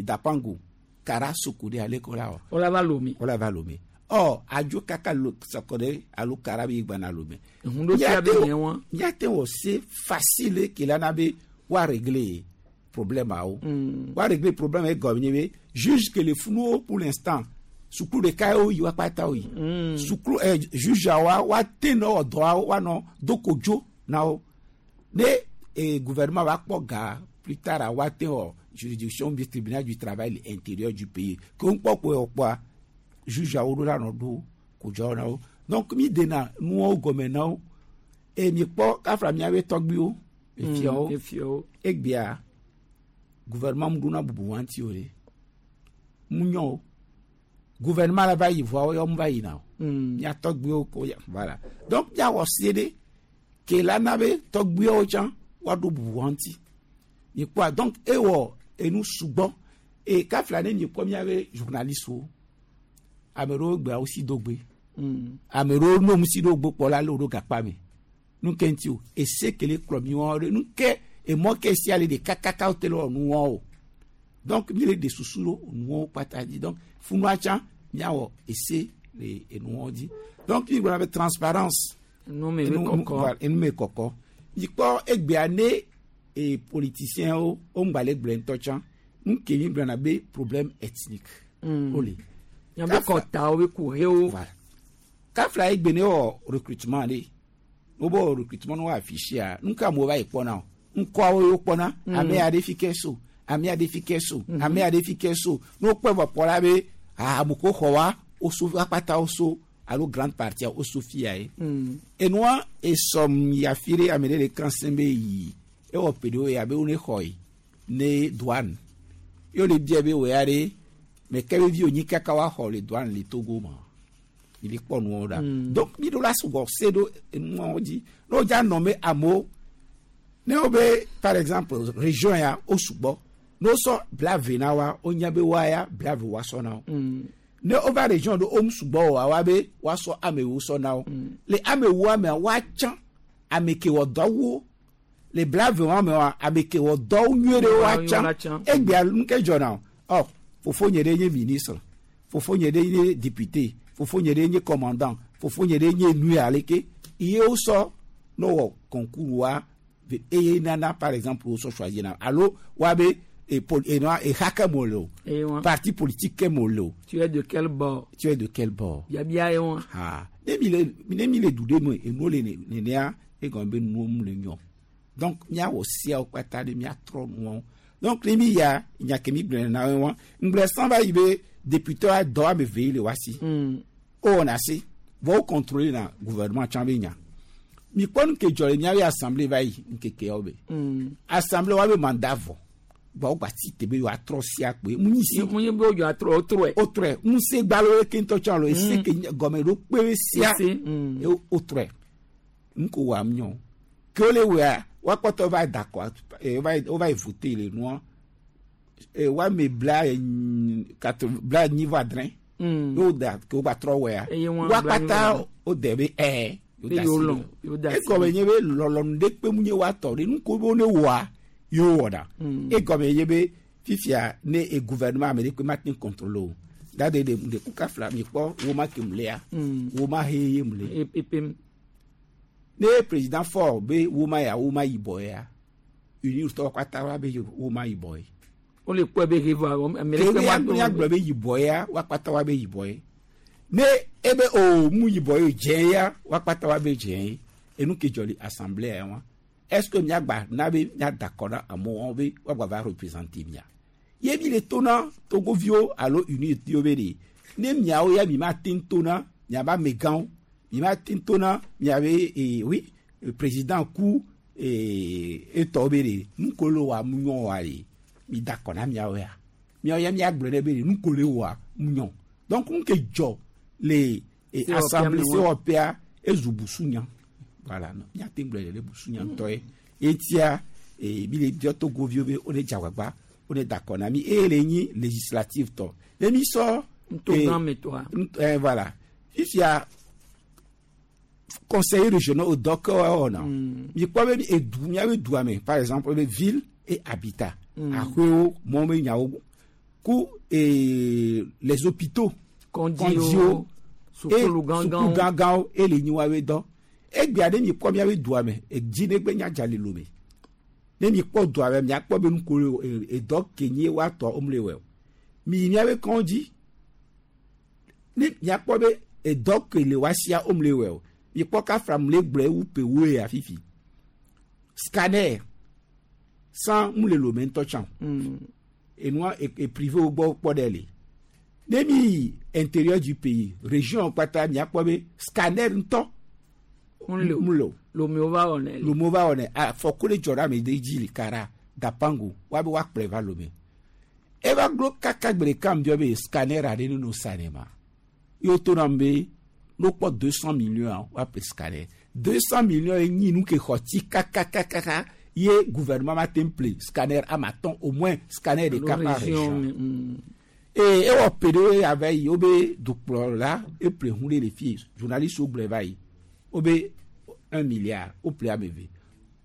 Dapango Kara Soko ɖe ale ko la wɔ. Wola va Lomé. Wola va Lomé ɔ adzo kaka lo Soko ɖe alo Kara be gbana Lomé. Ehun ɖo tia be nye wa. Míate wɔ se facile ke la na be woa régler problème awo. Woa régler problème egɔme nye be juge ke le funuwo pour l'instant sukulu ɖeka ye woyi wa kpata woyi. Sukulu juge awoa woate nɔ wɔ dɔa woanɔ do kodzo na wo. Ne gouvernement va kpɔ ga plus tard a woate wɔ juridiction bi tribunal du travail intérieur du pays ke ŋkpɔ ko wɔ kpɔa juge awo ɖo la nɔ do kodzoawo na wo. Donc mi dena nuwo gɔme na wo eye mi kpɔ kafla miabe tɔgbuiwo efiawo efiawo egbea gouvernement mu ɖona bubu wa ŋuti o ɖe mu nyɔ o. Gouvernement la va yi vɔa woyɔ mu va yina o. Mía tɔgbuiwo ko ya voilà. Donc míawɔ se ɖe ke la na be tɔgbuiwo tsã woaɖo bubu wa ŋuti. Mikpɔa donc ewɔ enu sugbɔ e kafla ne mikpɔ míabe journaliste-wo ame ɖewo gbea wo si do gbe. Ame ɖewo no mu si ɖo gbe kpɔ la le wo ɖo gakpa me. Nu ke ŋuti o ese ke le kplɔ mi wɔn ɖe nu ke emɔ ke sia le ɖeka kaka wo te le wɔ nu wɔn o. Donc mi le ɖe susu ɖo nuwo kpata dzi donc funua tsã miawɔ ese le enuwo dzi. Donc mi gblɔna be transparence. Enu me kɔkɔ. Enu me kɔkɔ. Mikpɔ egbea ne e politiciens wo ŋgba le gblɔe ŋutɔ tsã nu ke mi gblɔna be problème ethnique. Wole. Miabe kɔtawo be kuxewo. Voilà. Kafla egbe ne wɔ recrutement ɖe wobe wɔ recrutement ne wɔ afficher nu ka amewo va yi kpɔna o ŋkɔawo ye wokpɔna ame ya ɖe fi ke so ame ya ɖe fi ke so ame ya ɖe fi ke so ne wokpɔe vɔ kpɔ la be ah ame ko xɔ wa woso akpata woso alo grande partie woso fia ye. Enua esɔm yi afi ɖe ame ɖe le kan sẽ be yi ewɔ ƒe ɖewo ya be wo ne xɔ yi ne douane ye wole bia be wò ya ɖe mɛ ke be vi wònyi kaka woaxɔ le douane le Togo ma mi le kpɔ nuwo ɖa. Donc mi ɖo la sugbɔ se ɖo enuawo dzi ne wodza nɔ me amewo ne wo be par exemple région ya wo sugbɔ ne wosɔ blave na wa wonya be wa ya blave wa sɔ na wo. Ne wova région ɖo wo sugbɔ oa wa be woasɔ amewo sɔ na wo. Le amewo amea woatsã ame ke wɔ dɔ wo le blave wa me wa ame ke wɔ dɔ nyuie ɖe woatsã egbea nu ke dzɔna o ɔ fofonye ɖe nye ministre fofonye ɖe nye député fofonye ɖe nye commandant fofonye ɖe nye nu ya leke iye wosɔ ne wɔ concours wa eye nana par exemple wosɔ choisir na alo wa be exa ke mo le o parti politique ke mo le o. Tu es de quel bord? Tu es de quel bord? Biabia ye wa. Ha ne mi le ne mi le du ɖe me enuwo le nenea egɔme be nuwo mu le nyɔ donc miawɔ siawo kpata ɖe miatrɔ nuwo donc ne mi ya nya ke mi gblɔ na wo wa ŋgblɔ san va yi be député wa dɔ ame ve yi le wa si wowɔna se vɔ wo contrôler na gouvernement tsã be nya mi kpɔ nu ke dzɔ le miabe assemblée va yi ŋkekeawo be assemblée wa be mandat vɔ gba wo gba si te be yewoatrɔ sia kpoe mu nyi si mu nyi be wodzɔ atrɔ wotrɔe wotrɔe ŋusẽ gbalo ke ŋutɔ tsã lo ese ke gɔme ɖo kpe sia ye wotrɔe nu ko wɔ am nyɔ ke wole wɔa woakpɔtɔ va da kɔ wova yi voter le nua woame bla quatre 75 ye woda ke wogba trɔ wɔa woakpata wode be ɛɛ egɔme nye be lɔlɔnu ɖe kpe mu nye woatɔ ɖe nu ko be wo ne wɔa ye wowɔna egɔme nye be fifia ne e gouvernement ame ɖe kpe ma te contrôle o dade ɖe ɖe kuka fila mi kpɔ woma ke mu lea woma he ye mu le ne président Faure be woma ya woma yibɔ ya union tɔwo katã wa be woma yibɔ ye. Wole kpɔe be he vɔ ame ɖe kpe ma to. Ke gblɔ be yibɔ ya woakpata wa be yibɔ ye ne ebe o mu yibɔ ye dze ya woakpata wa be dze ye enu ke dzɔ le assemblée ya wa est ce que miagba na be miada kɔ na amewo be woagba va représenter mia ye mi le to na togoviwo alo unitiwo be ɖe ne miawo ya mi ma te ŋu to na miabe amegãwo mi ma te ŋu to na miabe ee oui président ku ee etɔwo be ɖe nu ko le wa mu nyɔ wa ɖe mi da kɔ na miawo ya miawo ya miagblɔ ɖe be ɖe nu ko le wa mu nyɔ donc nu ke dzɔ le assemblée COPA ezu busunya voilà miate gblɔ ɖe busunya ŋutɔ ye etia ee mi le biɔ togoviwo be wo ne dze agbagba wo ne da kɔ na mi eye le nyi législative tɔ ne mi sɔ. Ntogã voilà fifia conseiller régional dɔ ke wɔna mi kpɔ be edu miabe dua me par exemple be ville et habitat aƒewo mɔ me nyawo ku les hôpitaux kɔndziwo sukulu gãgãwo gãgãwo ele nyi woabe dɔ egbea ne mi kpɔ miabe dua me edzi ne gbe nya dza le lome ne mi kpɔ dua me miakpɔ be nuko edɔ ke nyi woatɔ womle wɔ o mi yi miabe kɔndzi ne miakpɔ be edɔ ke le woasia womle wɔ o mi kpɔ kafra mu le gblɔ ewu pewo ya fifi scanner sans mu le lome ŋutɔ tsã enua e privé wo gbɔ kpɔ ɖe le ne mi yi intérieur du pays région kpata miakpɔ be scanner ŋutɔ mu le o lomewo va wɔnɛ lomewo va wɔnɛ afɔku le dzɔ ɖe ame ɖe dzi le kara dapango woabe woakplɔe va lome Eva glo kaka gbe ɖeka ŋbiɔ be scanner aɖe ne no sa ne ma. Ye woto nam be ne wokpɔ 200 millions woaƒle scanner. 200 millions ye nyi nu ke xɔ tsi kakakakaka ye gouvernement ma te ŋu ƒle scanner ame atɔ̃ au moins scanner ɖeka Alo par région région. me. Eye ewɔ ƒe ɖewo ya va yi wobe dukplɔla eƒle ʋu ɖe le fie journaliste wo gblɔe va yi wobe 1 milliard woƒle ame eve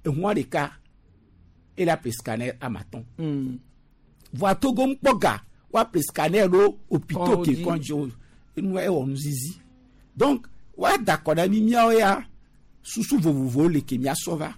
eʋua ɖeka ele aƒle scanner ame atɔ̃. Vɔa Togo ŋkpɔ ga woaƒle scanner ɖo hôpitaux ke Kɔdzi. kɔdzi wo enua ewɔ nuzizi donc woada akɔ na mi míawo ya susu vovovowo le ke míasɔ va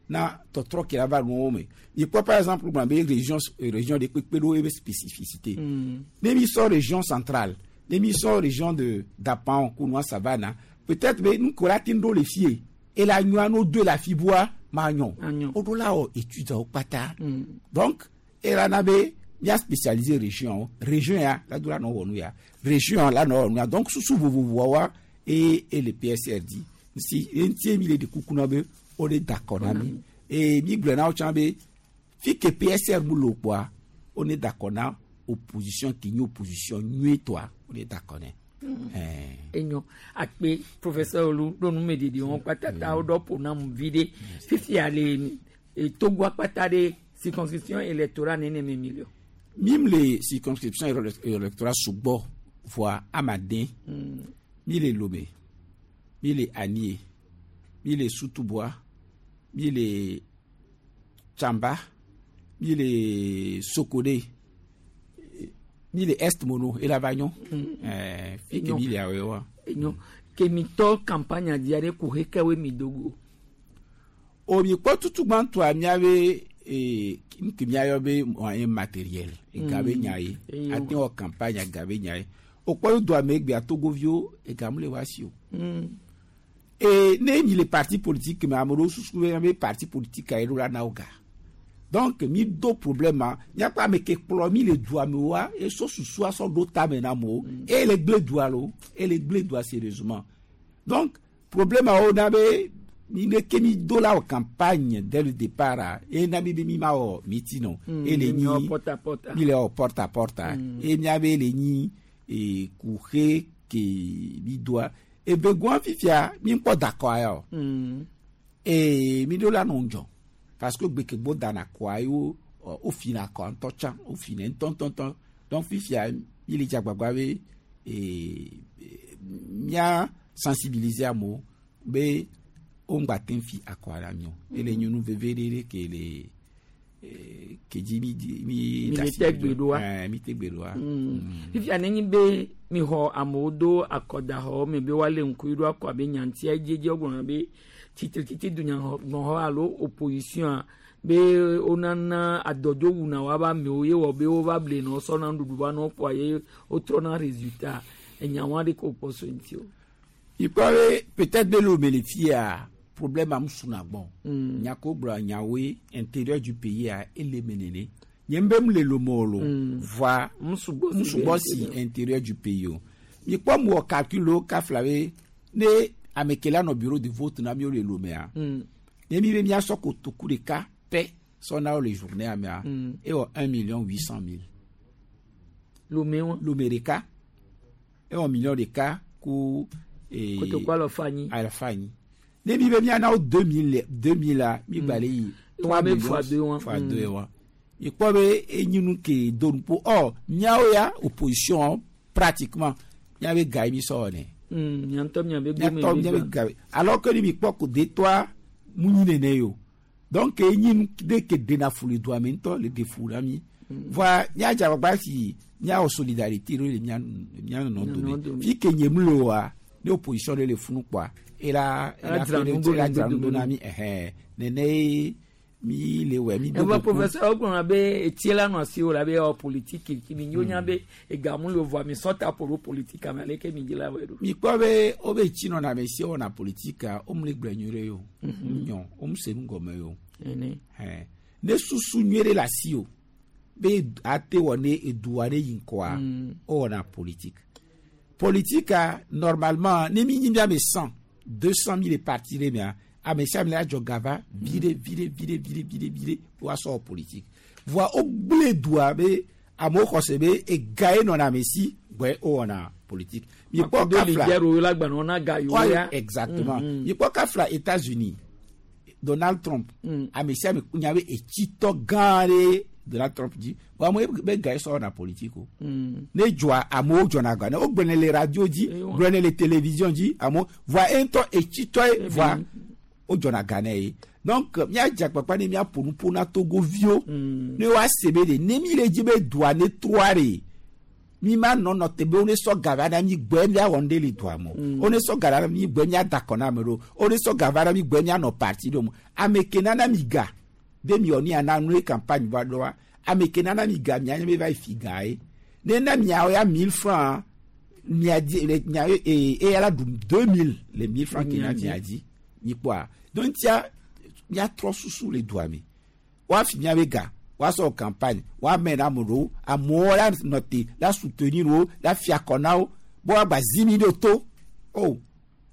na tɔtrɔ ke la va nuwo me mikpɔ par exemple gblɔ be région région ɖe kpekpe ɖo ebe spécificité ne mi sɔ région centrale ne mi sɔ région de Dapan Kunua Savane peut-être be nu ko la te ɖo le fie ela nyɔa no do le afi bua ma nyɔ Anyɔ. woɖo la wɔ étude wo kpata donc ela na be mía spécialiser région région ya la do la nɔ wɔ nu ya région la nɔ wɔ nu ya donc susu vovovoa eye ele PSR di si eŋutie mi le ɖe kuku na be wo le da akɔ na mi eye mi gblɔ na wo tsã be fi ke PSR mu le o kpoa wo ne da akɔ na opposition ke nye opposition nyuietɔa wo ne da akɔ nɛ. Ɛɛ. Enyo akpe professeur Olu ɖo numeɖeɖe wɔn kpata ta woɖɔ ƒo nam vi ɖe fifia le Togo akpata ɖe circonscription électorale nene me mi le o. Mi le circonscription électorale sugbɔ voa amaden mi le Lomé mi le Anie mi le Sotouboua mi le Tsamba mi le Sokodé mi le Est Mono ela va nyɔ ɛɛ fi ke Enyo. mi le awɛ wa. Enyo kemitɔ campagne di aɖe ko hekewoe mi dogo. O mi kpɔ tutugbãtɔa miabe ee nu ke miayɔ be moyen matériel ega be nya ye Eyo. ate wɔ campagne ega be nya ye o kpɔ do ame egbea togoviwo ega mu le wa si o. E ne mi le parti politique me ame ɖewo susu be be parti politique ye ɖo la na wo ga donc mi do problème ma miakpɔ ame ke kplɔ mi le dua me wa esɔ susua sɔ ɖo tame na amewo eye le gble dua lo eye le gble dua sérieusement donc problème awo na be mi ne ke mi do la wɔ campagne dès le départ a eye na mi be mi ma wɔ meeting o eye le Mi wɔ nyi porte à porte. mi le wɔ porte à porte eye miabe le nyi kuxe ke mi doa evegoa fifia mi kpɔ dakɔa ya o ee mi ɖo la nɔ ŋdzɔ parce que gbekegbo dana kɔa ye wo ɔ, wofina kɔa ŋutɔ tsã wofina ŋutɔŋutɔŋutɔ donc fifia mi le dze agbagba be ee mía sensibiliser amewo be wo ŋgba te ŋu fi akɔa la mi o ele nye nu veve ɖe ɖe ke le ee, ke dzi mi di mi Mi da le asi te ɖo. gbe ɖoa? Ɛɛ, mi te gbe ɖoa. Fifia nenye be mixɔ amewo do akɔdaxɔwo me be woalé ŋku ɖo akɔ abe nyantia dzedze wogblɔna be tsitretsitsi dunyagbɔxɔ alo opposition be wonana adɔdzo wuna woabe amewo ye wɔ be wova blenɔ sɔna nuɖuɖu va nɔ kpoa ye wotrɔna résultat enyawo aɖe ko kpɔ so ŋuti o. ikpɔ be peut-être be le me le fia problème am suna gbɔ nyako gblɔ nyawoe intérieur du pays a ele me nene nye be mu le lome o lo voa Musugbɔ si musugbɔ be si intérieur. intérieur du pays o mikpɔ mu wɔ calcul wo kafla be ne ame ke la nɔ bureau de vote na mi wo le lomea ne mi be miasɔ kotoku ɖeka pɛ sɔ na wo le journée amea ewɔ 1 800 000. Lome wa. Lome ɖeka ewɔ million ɖeka ku. Kotoku alɔfa anyi. Alɔfa anyi ne mi be miana wo 2000 2000 la mi gba le yi. Wa be fois deux wa. Fois deux wa ikpɔ be enyi nu ke do nu po ɔ miawo ya opposition pratiquement miabe ga ye mi sɔ wɔ nɛ. Miatɔ miabe gome miatɔ miabe ga ye alors que ni mi kpɔ ko detɔa mu nyi nene yi o donc enyi nu de ke dena fu le doa me ŋutɔ le de fu la mi voa miadze agbagba si miawɔ solidarité ɖo le mia mia nɔnɔ dome fi ke nye mu le oa ne opposition ɖe le funu kpɔa ela Ela dzra nu do ela le dzra nu do dome. na mi ɛhɛn nene ye mi le wɔ mi do Eva goku. professeur wogblɔna be etie la nɔ asiwò la be ewɔ politiki ki mi nyo nya be egamu le vɔa mi sɔ ta ƒo ɖo politique ame aleke mi dzi la wɔe ɖo. mi kpɔ be wobe tsi nɔna ame si wɔna politika wo mu le gblɔ nyuie ɖe o nyɔ wo mu se nu gɔme o Ene. Ɛn. ne susu nyuie ɖe le asi o be ate wɔ ne edua ɖe yi ŋkɔa wo wɔna politique politika normalement ne mi nyi mi ame 100 200 000 parti ɖe mea ame sia ame la dzɔ gava viɖe viɖe viɖe viɖe viɖe viɖe woasɔ wɔ politique voa wo gblẽ dua be Amewo xɔ se be ega ye nɔna ame si gbɔe wowɔna politique. Mikpɔ Makudo kafla. leader wo la gbanɔ na ga yewo Ouais, ya. exactement. Mm. Mikpɔ kafla États-Unis, Donald Trump, ame sia ame nya be etsitɔ gã ɖe Donald Trump dzi. Vɔ amewo be ga ye sɔ wɔna politique o. Ne dzɔa amewo dzɔna ga ne wogblɔnɛ le radio dzi, gblɔnɛ le télévision dzi amewo vɔa ye ŋutɔ etsitɔ ye vɔa wodzɔna ga nɛ ye. Donc míadze agbagba ne míaƒo nu ƒo na Togoviwo ne woase be ɖe ne mi le dzi be dua ne trɔa ɖe mi ma nɔ nɔ te be wo ne sɔ ga va na mi gbɔe míawɔ nu ɖe le dua me o. Wo ne sɔ ga va na mi gbɔe míada akɔ na ame ɖewo. Wo ne sɔ ga va na mi gbɔe míanɔ parti ɖewo me. Ame ke nana mi ga be miwɔ nu ya na nu ye campagne va ɖoa, ame ke nana mi ga mia nye be va yi fi ga ye. Ne na miawo ya 1000 francs mia di le mia ye eya la ɖu 2000 le 1000 francs ke na mia dzi. Mi kpɔa. Donc tia míatrɔ susu le dua me. Woafi míabe ga, woasɔ campagne, woamɛ na ame ɖewo, amewo la nɔ te la soutenir wo, la fia akɔ na wo, be woagba zi mi ɖo to. O,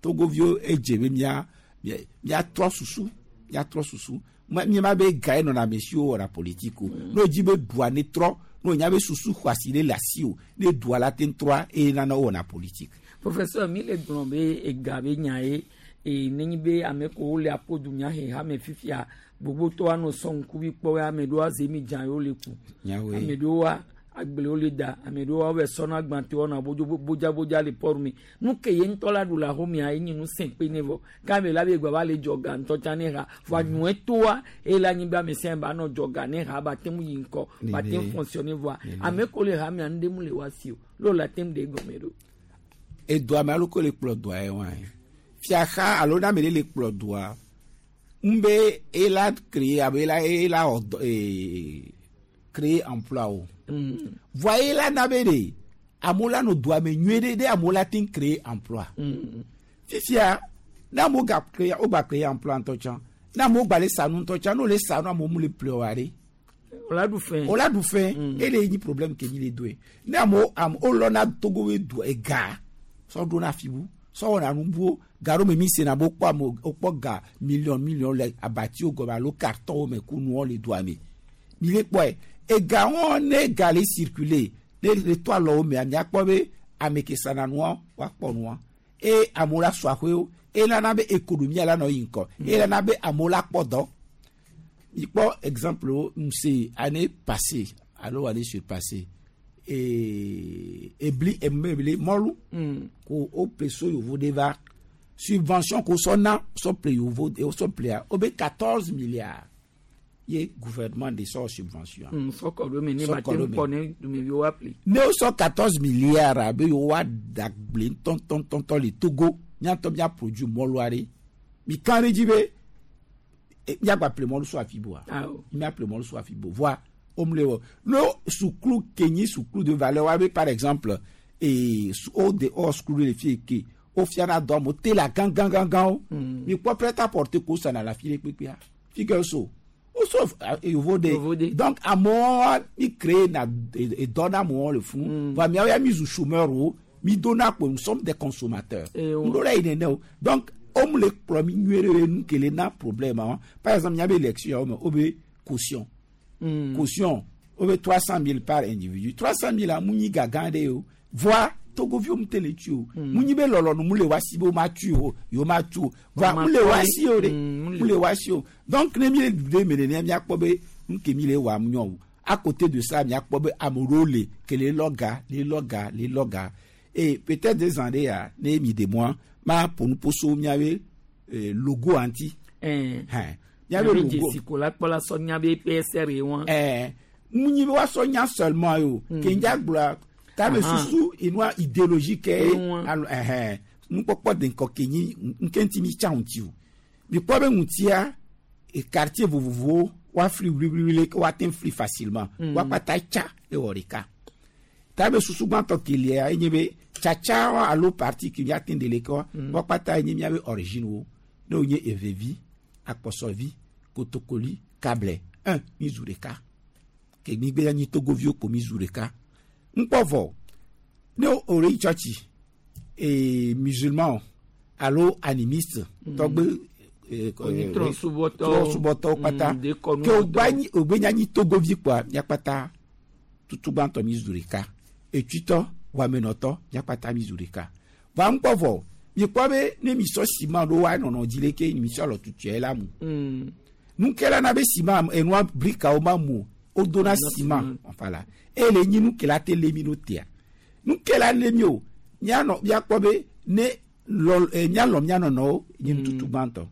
Togoviwo edze be mía míatrɔ susu, míatrɔ susu. Míema be ga ye nɔna ame siwo wɔna politique o. Ne wodzi be dua ne trɔ, ne wonya be susu xɔasi ɖe le asi o, ne dua la te trɔa, eye nana wowɔna politique. Professeur, mi le gblɔ be ega be nya ye e nenye be ame ko le aƒo dunya he hame fifia gbogbotɔ anɔ sɔ ŋkuvi kpɔ ame ɖewo aze mi dza yewo le ku. Nyawoe. Ame ɖewoa agblewo le da, ame ɖewoa wove sɔna gbãtɔ wɔna bodzabodzabodza le port me. Nu ke ye ŋutɔ la ɖu le axomea ye nye nu sẽ kpe ne vɔ. Ke ame la be gba va le dzɔ ga ŋutɔ tsã ne ha. Vɔa nyuie toa eye le anyigba ame sia ame ba nɔ dzɔ ga ne ha ba te ŋu yi ŋkɔ, ba te ŋu fonctionner vɔa ame ko le hamea nu ɖe mu le wa si o. Leo la te ŋu ɖe egɔme ɖo. Edoa me alo ko le kplɔ doa ye wa ye. Fiaxa alo ne ame ɖe le kplɔ doa, ŋbe ela créer abe ela ela wɔ dɔ créer emploi o. Vɔa ela na be ɖe amewo la nɔ doa me nyuie ɖe ɖe amewo la te ŋu créer emploi. Fifia ne amewo ga créer wo gba créer emploi ŋutɔ tsã, ne amewo gba le sa nu ŋutɔ tsã, ne wole sa nu amewo mu le ƒle oa ɖe. Wòla ɖu fɛn. Wòla ɖu fɛn. Ele nyi problème ke mi le doe. Ne amewo ame wolɔna Togo be du ega sɔ ɖona afi bu sɔ wɔna nu buwo ga ɖo me mi sena be wokpɔ ame wokpɔ ga million million le abatiwo gɔme alo cartonwo me ku nuwo le dua me. Mi le kpɔe ega wɔn ne ga le circuler ne le to alɔwo mea miakpɔ be ame ke sana nua woakpɔ nua eye amewo la sɔ aƒewo eye nana be économie la nɔ yi ŋkɔ eye nana be amewo la kpɔ dɔ. Mi kpɔ exemple wo se année passée alo année surpassée ebli emebli mɔlu ko o ple so yovo de va subvention ko sɔ na sɔ ple yovo o sɔ plea o be 14 milliards ye gouvernement de sɔ subvention. Sɔ kɔ ɖo me ne ba te ŋu kpɔ ne dumeviwo wa ple. Ne o sɔ 14 milliards abe yewo wa da gble ŋutɔŋutɔŋutɔ le Togo miatɔ mia produit mɔlua ɖe mi kan ɖe dzi be miagba ple mɔlu so afi boa mia ple mɔlu so afi bo voa o mu le wɔ no sukulu ke nyi sukulu de valeur wa be par exemple ee o de o sukulu le fi ke o fiana dɔ amewo te la gã gã gã gãwo mi kpɔ prêt à porter ko sana la fi ɖe kpekpea fi ke so o so yovo de donc amewo mi créer na edɔ na amewo le funu voa miawo ya mi zu chômeur wo mi dona kpo nous sommes des consommateurs ŋɖo la yi nene o donc o mu le kplɔ mi nyuie ɖe nu ke le na problème wa par exemple miabe élection yawo me o be caution caution o be 300 000 par individu 300 000 a mu nyi ga gã ɖe o voa togoviwo mu te le tui o mu nyi be lɔlɔnu mu le wa si be wo ma tui o yewo ma tu o voa mu le wa si o de mu le wa si o donc ne mi le du ɖe me nenea miakpɔ be nu ke mi le wɔ nyɔ o à côté de ça miakpɔ be ame ɖewo le ke le lɔ ga le lɔ ga le lɔ ga et peut-être des années ya ne mi de moi ma ƒo nu ƒo miabe logo ŋuti. Hɛn miabe logo dzesi ko la kpɔ la sɔ nya be PSR ye wɔn. Mu nyi be woasɔ nya seulement ye o ke ŋdza gblɔa tame susu enua idéologie ke alo ɛhɛn nukpɔkpɔ de ŋkɔ ke nyi nke ŋuti mi tsa ŋuti o mi kpɔ be ŋutia quartier vovovowo woafli wliwliwli woate ŋu fli facilement woakpata tsa ewɔ ɖeka tame susu gbãtɔ kelia enye be tsatsa alo parti ke miate ŋu de le ke wa woakpata enye miabe origine wo ne wonye evevi akpɔsɔvi kotokoli kable un mi zu ɖeka ke mi gbe nyi togoviwo ko mi zu ɖeka ŋkpɔ vɔ ne o le yi tsɔtsi ee musulman alo animiste tɔgbe trɔsubɔtɔwo kpata ke wògbe nyanyi togovi kpoa miakpata Tutugbãtɔ mi zu ɖeka, etsitɔ wamenɔtɔ miakpata mi zu ɖeka. Va ŋkpɔ vɔ mikpɔ be ne mi sɔ ciment ɖo wa nɔnɔ dzi leke mi sɔ alɔ tutuɛ la mu. Nukela na be ciment enua brikawo ma mu o, wodona ciment voilà. Eye le nyi nukela te le mi ɖo tea. Nukela le mi o, mianɔ miakpɔ be ne lɔ mialɔ mianɔnɔwo nye nututu gbãtɔ.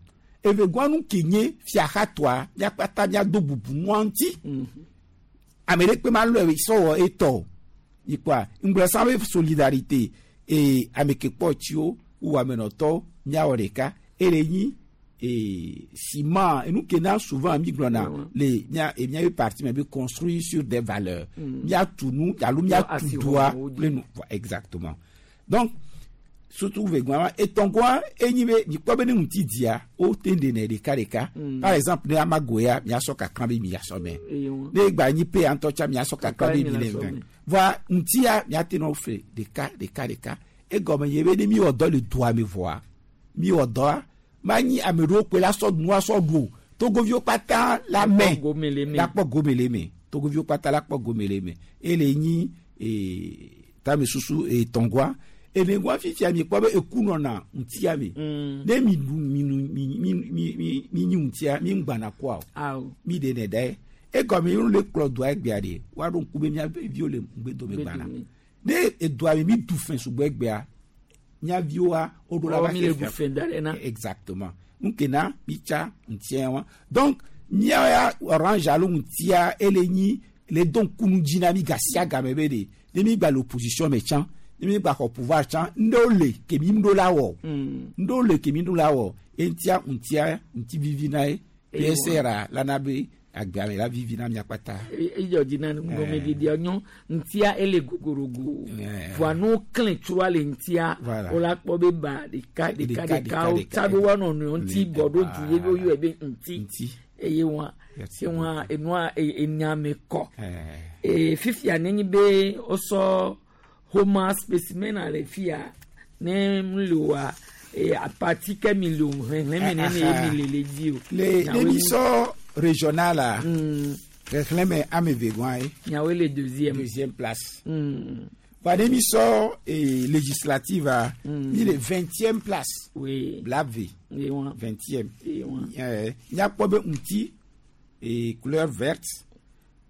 Evegɔa nu ke nye fiaxatɔa miakpata miado bubu nua ŋuti. Ame ɖe kpe ma lɔe sɔwɔ etɔ o. Ikpɔa ŋgblɔ sa be solidarité ee ame ke kpɔ tsiwo wu amenɔtɔwo miawɔ ɖeka eye nyi ee ciment enu ke na souvent mi gblɔna le mia e miabe parti me be construire sur des valeurs. Miatu nu alo miatu doa kple nu exactement. Donc surtout vegɔa etɔngɔa enyi be mikpɔ be ne ŋuti dia wo te ɖenɛ ɖeka ɖeka. Par exemple ne amagoya miasɔ kakra be miasɔ mɛ. Ne egba nyi pe ŋutɔ tsa miasɔ kakra be mi le vɛ. Voa ŋutia miate nɔ fe ɖeka ɖeka ɖeka. Egɔme nye be ne mi wɔ dɔ le doa me vɔa mi wɔ dɔa ma nyi ame ɖewo koe la sɔ nua sɔ ɖu o. Togoviwo kpata la mɛ la kpɔ gome le eme. Togoviwo kpata la kpɔ gome le eme. Ele nyi tame susu etɔngɔa. Enegɔa fifia mi kpɔ be eku nɔna ŋutia me. Ne mi ɖu mi nu mi mi mi mi mi nyi ŋutia mi ŋgbana kɔa o. Mi ɖe nɛ da ye. Egɔme ye le kplɔ doa egbea ɖe woaɖo ŋku be mía viwo le ŋgbedome gbana. Ne edoa mi mi du fɛn sugbɔ egbea mía viwoa woɖo la va mi le du fɛn da ɖe na. Exactement. Ŋkena mi tsa ŋutia wa. Donc mía ya orange alo ŋutia ele nyi le do ŋkunu dzi na mi gasia game be de ne mi gba le opposition me tsã ne mi gba xɔ pouvoir tsã ŋɖewo le ke mi ŋɖo la wɔ. Ŋɖewo le ke mi ŋɖo la wɔ. Eŋutia ŋutia ŋuti vivi na ye. PSR la na be agbea me la vivi na mia kpata. Edzɔ dzi na ŋgɔmeɖeɖea nyɔ ŋutia ele gogorogo. Voa nu klẽ tsroa le ŋutia wola kpɔ be ba ɖeka ɖeka ɖeka wotsa ɖo woa nɔnɔewo ŋuti bɔ ɖo du ye woyɔe be ŋuti. Eye wa se wa enua enya me kɔ. Fifia nenye be wosɔ homa specimen le fia ne mu le wa apati ke mi le o xexlẽme nene ye mi le le dzi o. Le ne mi sɔ régional la xexlẽme ame eve gɔa ye. Nyawoe le deuxième. Deuxième place. Voa ne mi sɔ législative a mi le 20e place. Oui. Blave. 20e. Miakpɔ be ŋuti couleur verte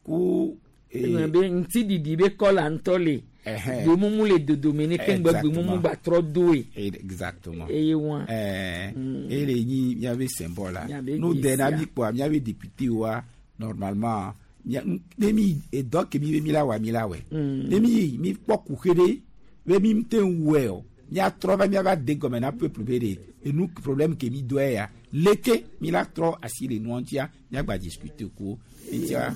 ku. Be ŋuti ɖiɖi be kɔla ŋutɔ le. Gbemumu le dodome ne keŋgbe gbemumu gba trɔ doe. Exactement. Eye wa. Eye le nyi miabe symbole la. No de na mi kpɔa miabe député wa normalement ne mi edɔ ke mi be mi la wa mi la wɛ. Ne mi mi kpɔ kuxe ɖe be mi te ŋu wɛ o. Miatrɔ va miava de gɔme na peuple be de enu problème ke mi do ya leke mi la trɔ asi le nua ŋutia miagba discuter ko ŋutia.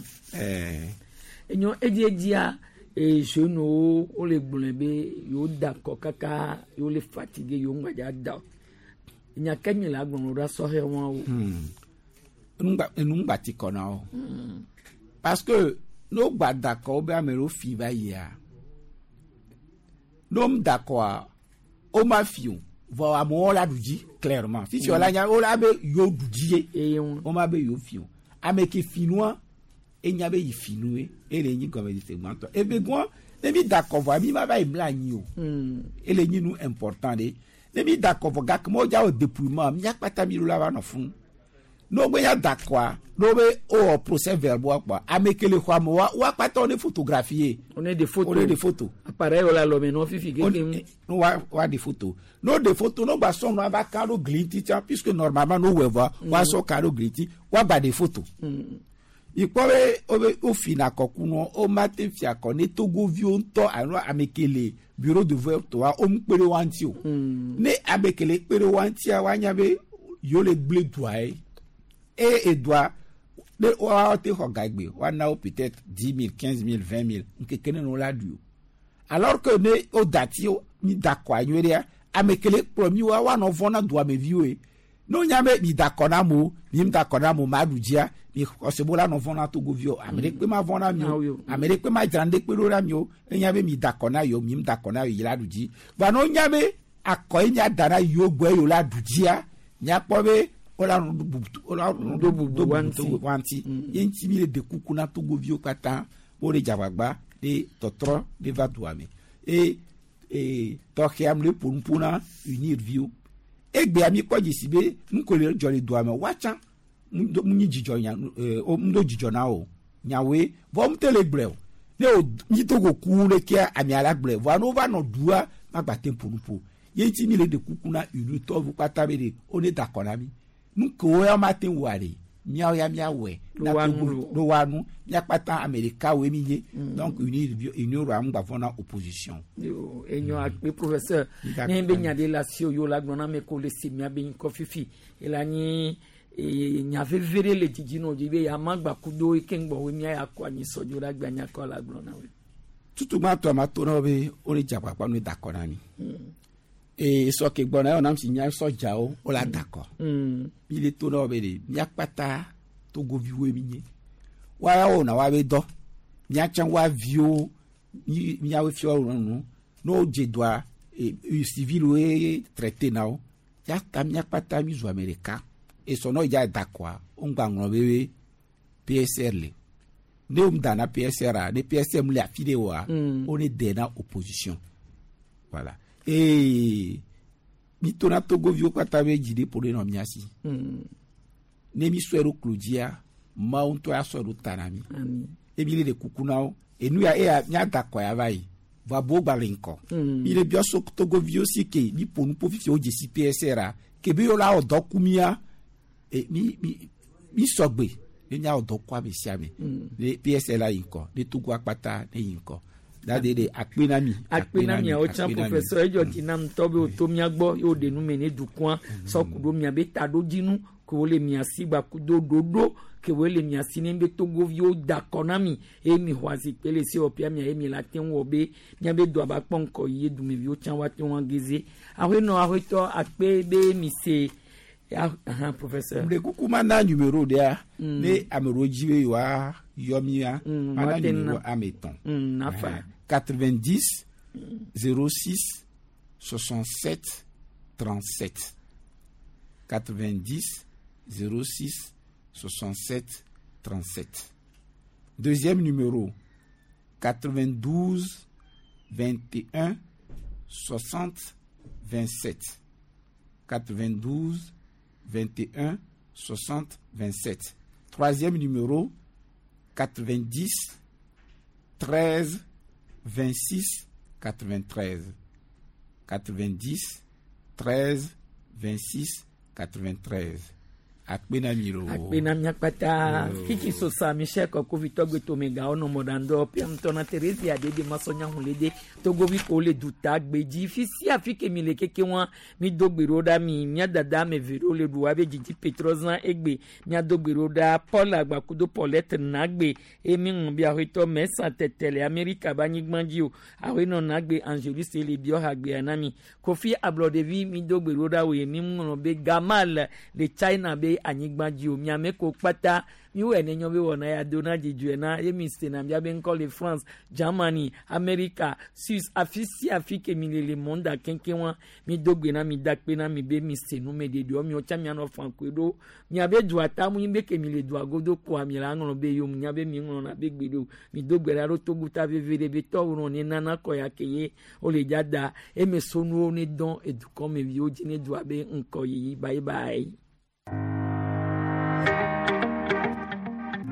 Enyo edzia jeunes wole gblɔe be yewo da kɔ kaka yewo le fatigué yewo ŋgbadza da o. Nya ke mi le agblɔ ɖo sɔhɛ wɔwo. Enu ŋgba ti kɔ na wo. Parce que ne wo gba da kɔ wo be ame ɖewo fi va yia ne wo da kɔa wo ma fi o vɔ amewo la ɖu dzi clairement fifi wo la nya wo la be yewo ɖu dzi ye wo ma be yewo fi o. Ame ke fi nua enya be yi fi nu ye ele nyi gɔmesese gbãtɔ eve gɔn ne mi da kɔ vɔa mi ma va yi mla anyi o. Ele nyi nu important ɖe ne mi da kɔ vɔ gake me wodza wɔ dépouillement miakpata mi ɖo la va nɔ funu. Ne wo gbe nya da kɔa ne wo be wowɔ procès verbal kpɔa ame ke le xɔa me wa woakpata wo ne photographie. On est des photos. On est des photos. Appareil wo le alɔme nɔ fifi keke ŋu. Ne wa des photos. Ne wo des photos ne wo gba sɔ nua va ka ɖo gli ŋuti tsã puisque normalement ne wo wɔe vɔa woasɔ ka ɖo gli ŋuti woagba des photos. Ikpɔ be wo be wo fina kɔkunɔ wo ma te fia kɔ ne togoviwo ŋutɔ alo ame ke le bureau de vote wa wo ŋu kpe ɖe wa ŋuti o. Ne ame ke le kpe ɖe wa ŋutia woanya be yewo le gblẽ dua ye. Eye edua ne woawo te xɔ gagbe woana wo peut-être 10 000, 15 000, 20 000 ŋkeke ne wo la ɖui o. Alors que ne wo da ti wo mi da kɔa nyuie ɖea ame ke le kplɔ mi woa woanɔ vɔ̃ na duameviwo ye. Ne wonya be mi da kɔ na amewo mi da kɔ na amewo ma ɖu dzia mi xɔse bo la nɔ vɔ̃ na togoviwo ame ɖe kpe ma vɔ̃ na mi o ame ɖe kpe ma dzra ŋɖe kpe ɖo na mi o enya be mi da kɔ na yewo mi da kɔ na yewo yi la ɖu dzi. Vɔa ne wonya be akɔ ye mia da na yewo gbɔe yewo la ɖu dzia miakpɔ be wola nɔ do bubu wa ŋuti. Ye ŋuti mi le de kuku na togoviwo katã wo le dzagbagba De tɔtrɔ de va dua me. E e tɔxɛa me le ƒo nu na unir viwo. Egbea mi kpɔ dzesi be nu ko le dzɔ le dua me woatsã mu nyi dzidzɔ nya o mu do dzidzɔ na o nyawoe vɔ mu te le gblɔe o ne o mi to go ku ɖekea amea la gblɔe vɔa ne wova nɔ dua magba te ƒo nu ƒo ye ŋuti mi le ɖe kuku na unitɔwo kpata be ɖe wo ne da akɔ na mi nu kewo ya ma te wɔa ɖe miawo ya miawɔe Ɖo wa nu lo. ɖo wa nu miakpata ame ɖekawoe mi nye donc unir roa ŋgba vɔ na opposition. Yo, enyo akpe professeur D'accord. ne be nya ɖe le asi wo la gblɔ na ame ko le se mia be ŋkɔ fifi ela nyi nya veve ɖe le dzidzi nɔ dzi be ya ma gba kudo eke ŋgbɔ wo mia ya kɔ anyi sɔdzo ɖe agbe anya kɔ la gblɔ na wo. Tutugba tɔ ma to na wo be wo le dze agbagba ne da akɔ na mi. Ee sɔ ke gbɔna yɔ nam si nya sɔdzawo wo la da akɔ. Mi le to na wo be ɖe miakpata togoviwoe mi nye. Woaya wɔna wa be dɔ. Miatsã wa viwo mi miawo fiɔ wo nu. Ne wo dze dɔa e civil woe traité na wo. Ya ta miakpata mi zu ame ɖeka. Esɔ n'o dza da akɔa wo ŋgba ŋlɔ be be PSR le. Ne wo da na PSR a ne PSR mu le afi ɖe oa wo ne de na opposition. Voilà. Ee mi tona togoviwo kpata be dzi ɖe ƒo ɖe nɔ mia si. Ne mi sɔe ɖo klo dzia mawu ŋutɔ ya sɔe ɖo ta na mi. Ami. Emi le ɖe kuku na wo. Enu ya eya miada akɔ ya va yi. Vɔ abowo gba le ŋkɔ. Mi le biɔ so togoviwo si ke mi ƒo nu ƒo fifi wo dzesi PSR a ke be yewo la wɔ dɔ ku mia e mi mi mi sɔgbe ne miawɔ dɔ ku ame sia ame. Ne PSR la yi ŋkɔ ne Togo akpata ne yi ŋkɔ. Dade de akpe na mi. Akpe na miawo tsã akpe na mi. Professeur edzɔ dzi nam ŋutɔ be woto mia gbɔ ye woɖe nu me ne dukɔa sɔ ku ɖo miabe taɖodzinu ke wole mia si gba kudo ɖoɖo ke wole mia si ne be togoviwo da akɔ na mi eye mi xɔ azikpe le sewɔƒea mia ye mi la te ŋu wɔ be miabe dɔa ba kpɔ ŋkɔ yi ye dumeviwo tsã woate ŋu ageze aƒenɔ aƒetɔ akpe be mi se ahan professeur. Ɖe kuku ma na numéro ɖea ne ame ɖewo dzi be yewoa yɔ mia ma na woate ŋu numéro na. ame etɔ̃. Nafa. 90 06 67 37 90 06 67 37. Deuxième numéro 92 21 60 27 92 21 60 27. Troisième numéro 90 13 26 93 90 13 26 93. Akpe na mi lo. Akpe na mia kpata kiki sosa michel kɔkovi tɔgbe tomegawo nɔ mɔɖaŋdɔ pia ŋutɔ na teresia ɖeɖe masɔnyahulede togovi ko le duta gbedzi fi sia fi ke mi le keke wa mi do gbe ɖo ɖa mi mia dada ame eve ɖewo le ɖu abe dzidzi petrɔzã egbe mia do gbe ɖo ɖa paul agbakudo paulette nagbe eye mi ŋlɔ bi aƒetɔ mɛsa tɛtɛ le amerika be anyigba dzi o aƒenɔ nagbe angelus le biɔ hagbea na mi kofi ablɔɖevi mi do gbe ɖo ɖa woe mi ŋlɔ be gamal le china be anyigba dzi o miame ko kpata miwɔe ne nyɔ be wɔna ya do na dzidzɔe na ye mi sena mia be ŋkɔ le France, Germany, America, Suisse, afi sia afi ke mi le le monde keŋkeŋ wa mi do gbe na mi da kpe na mi be mi se nu me ɖeɖewo miwo tsã mianɔ fankoe ɖo miabe dua ta mu nyi be ke mi le dua godo koa mi la ŋlɔ be yom nya be mi ŋlɔna be gbe ɖo mi do gbe ɖa ɖo toguta veve ɖe be tɔwo nɔ ne nana kɔ ya ke ye wole dza da eme sonuwo ne dɔn edukɔmeviwo dzi ne dua be ŋkɔ yiyi bye bye.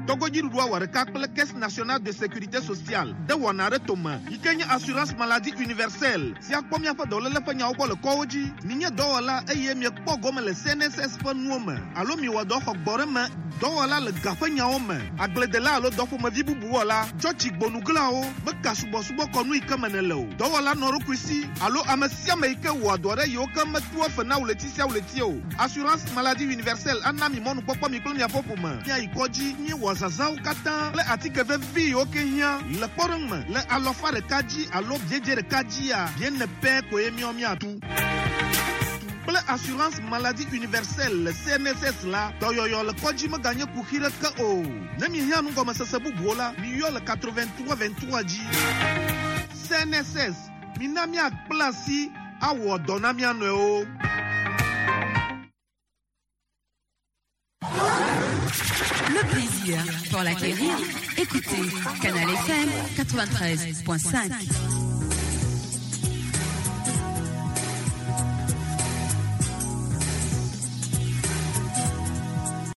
Togodziɖuɖua wɔ ɖeka kple Caisse nationale de sécurité sociale de wɔna ɖe tome yi ke nye assurance maladie universelle si akpɔ miaƒe dɔléle ƒe nyawo gbɔ le kɔwo dzi. Minye dɔwɔla eye miekpɔ gome le CNSS ƒe nuwo me alo miwɔ dɔ xɔ gbɔ ɖe me dɔwɔla le ga ƒe nyawo me agbledela alo dɔƒomevi bubu wɔla tsɔtsi gbonuglawo meka subɔsubɔ kɔnu yi ke me nele o dɔwɔla nɔ ɖokui si alo ame sia ame yi ke wɔa dɔ ɖe yiwo ke metua fe na ɣleti sia ɣleti o. Assurance maladie universelle ana mi mɔnukpɔkpɔ mi kple miaƒe ƒome miayi kɔdzi miewɔ zazãwo katã kple atike vevi yiwo ke hiã le kpɔɖeŋu me le alɔfa ɖeka dzi alo biedze ɖeka dzia biene pɛ koe miɔ miatu kple assurance maladie universelle le CNSS la dɔyɔyɔ le kɔdzi meganye kuxi ɖeke o. Ne mihiã nugɔmesese bubuwo la miyɔ le 83 23 dzi. CNSS mina miakpla asi awɔ dɔ na mia nɔewo. Le plaisir, pour l'acquérir, écoutez Canal FM 93.5.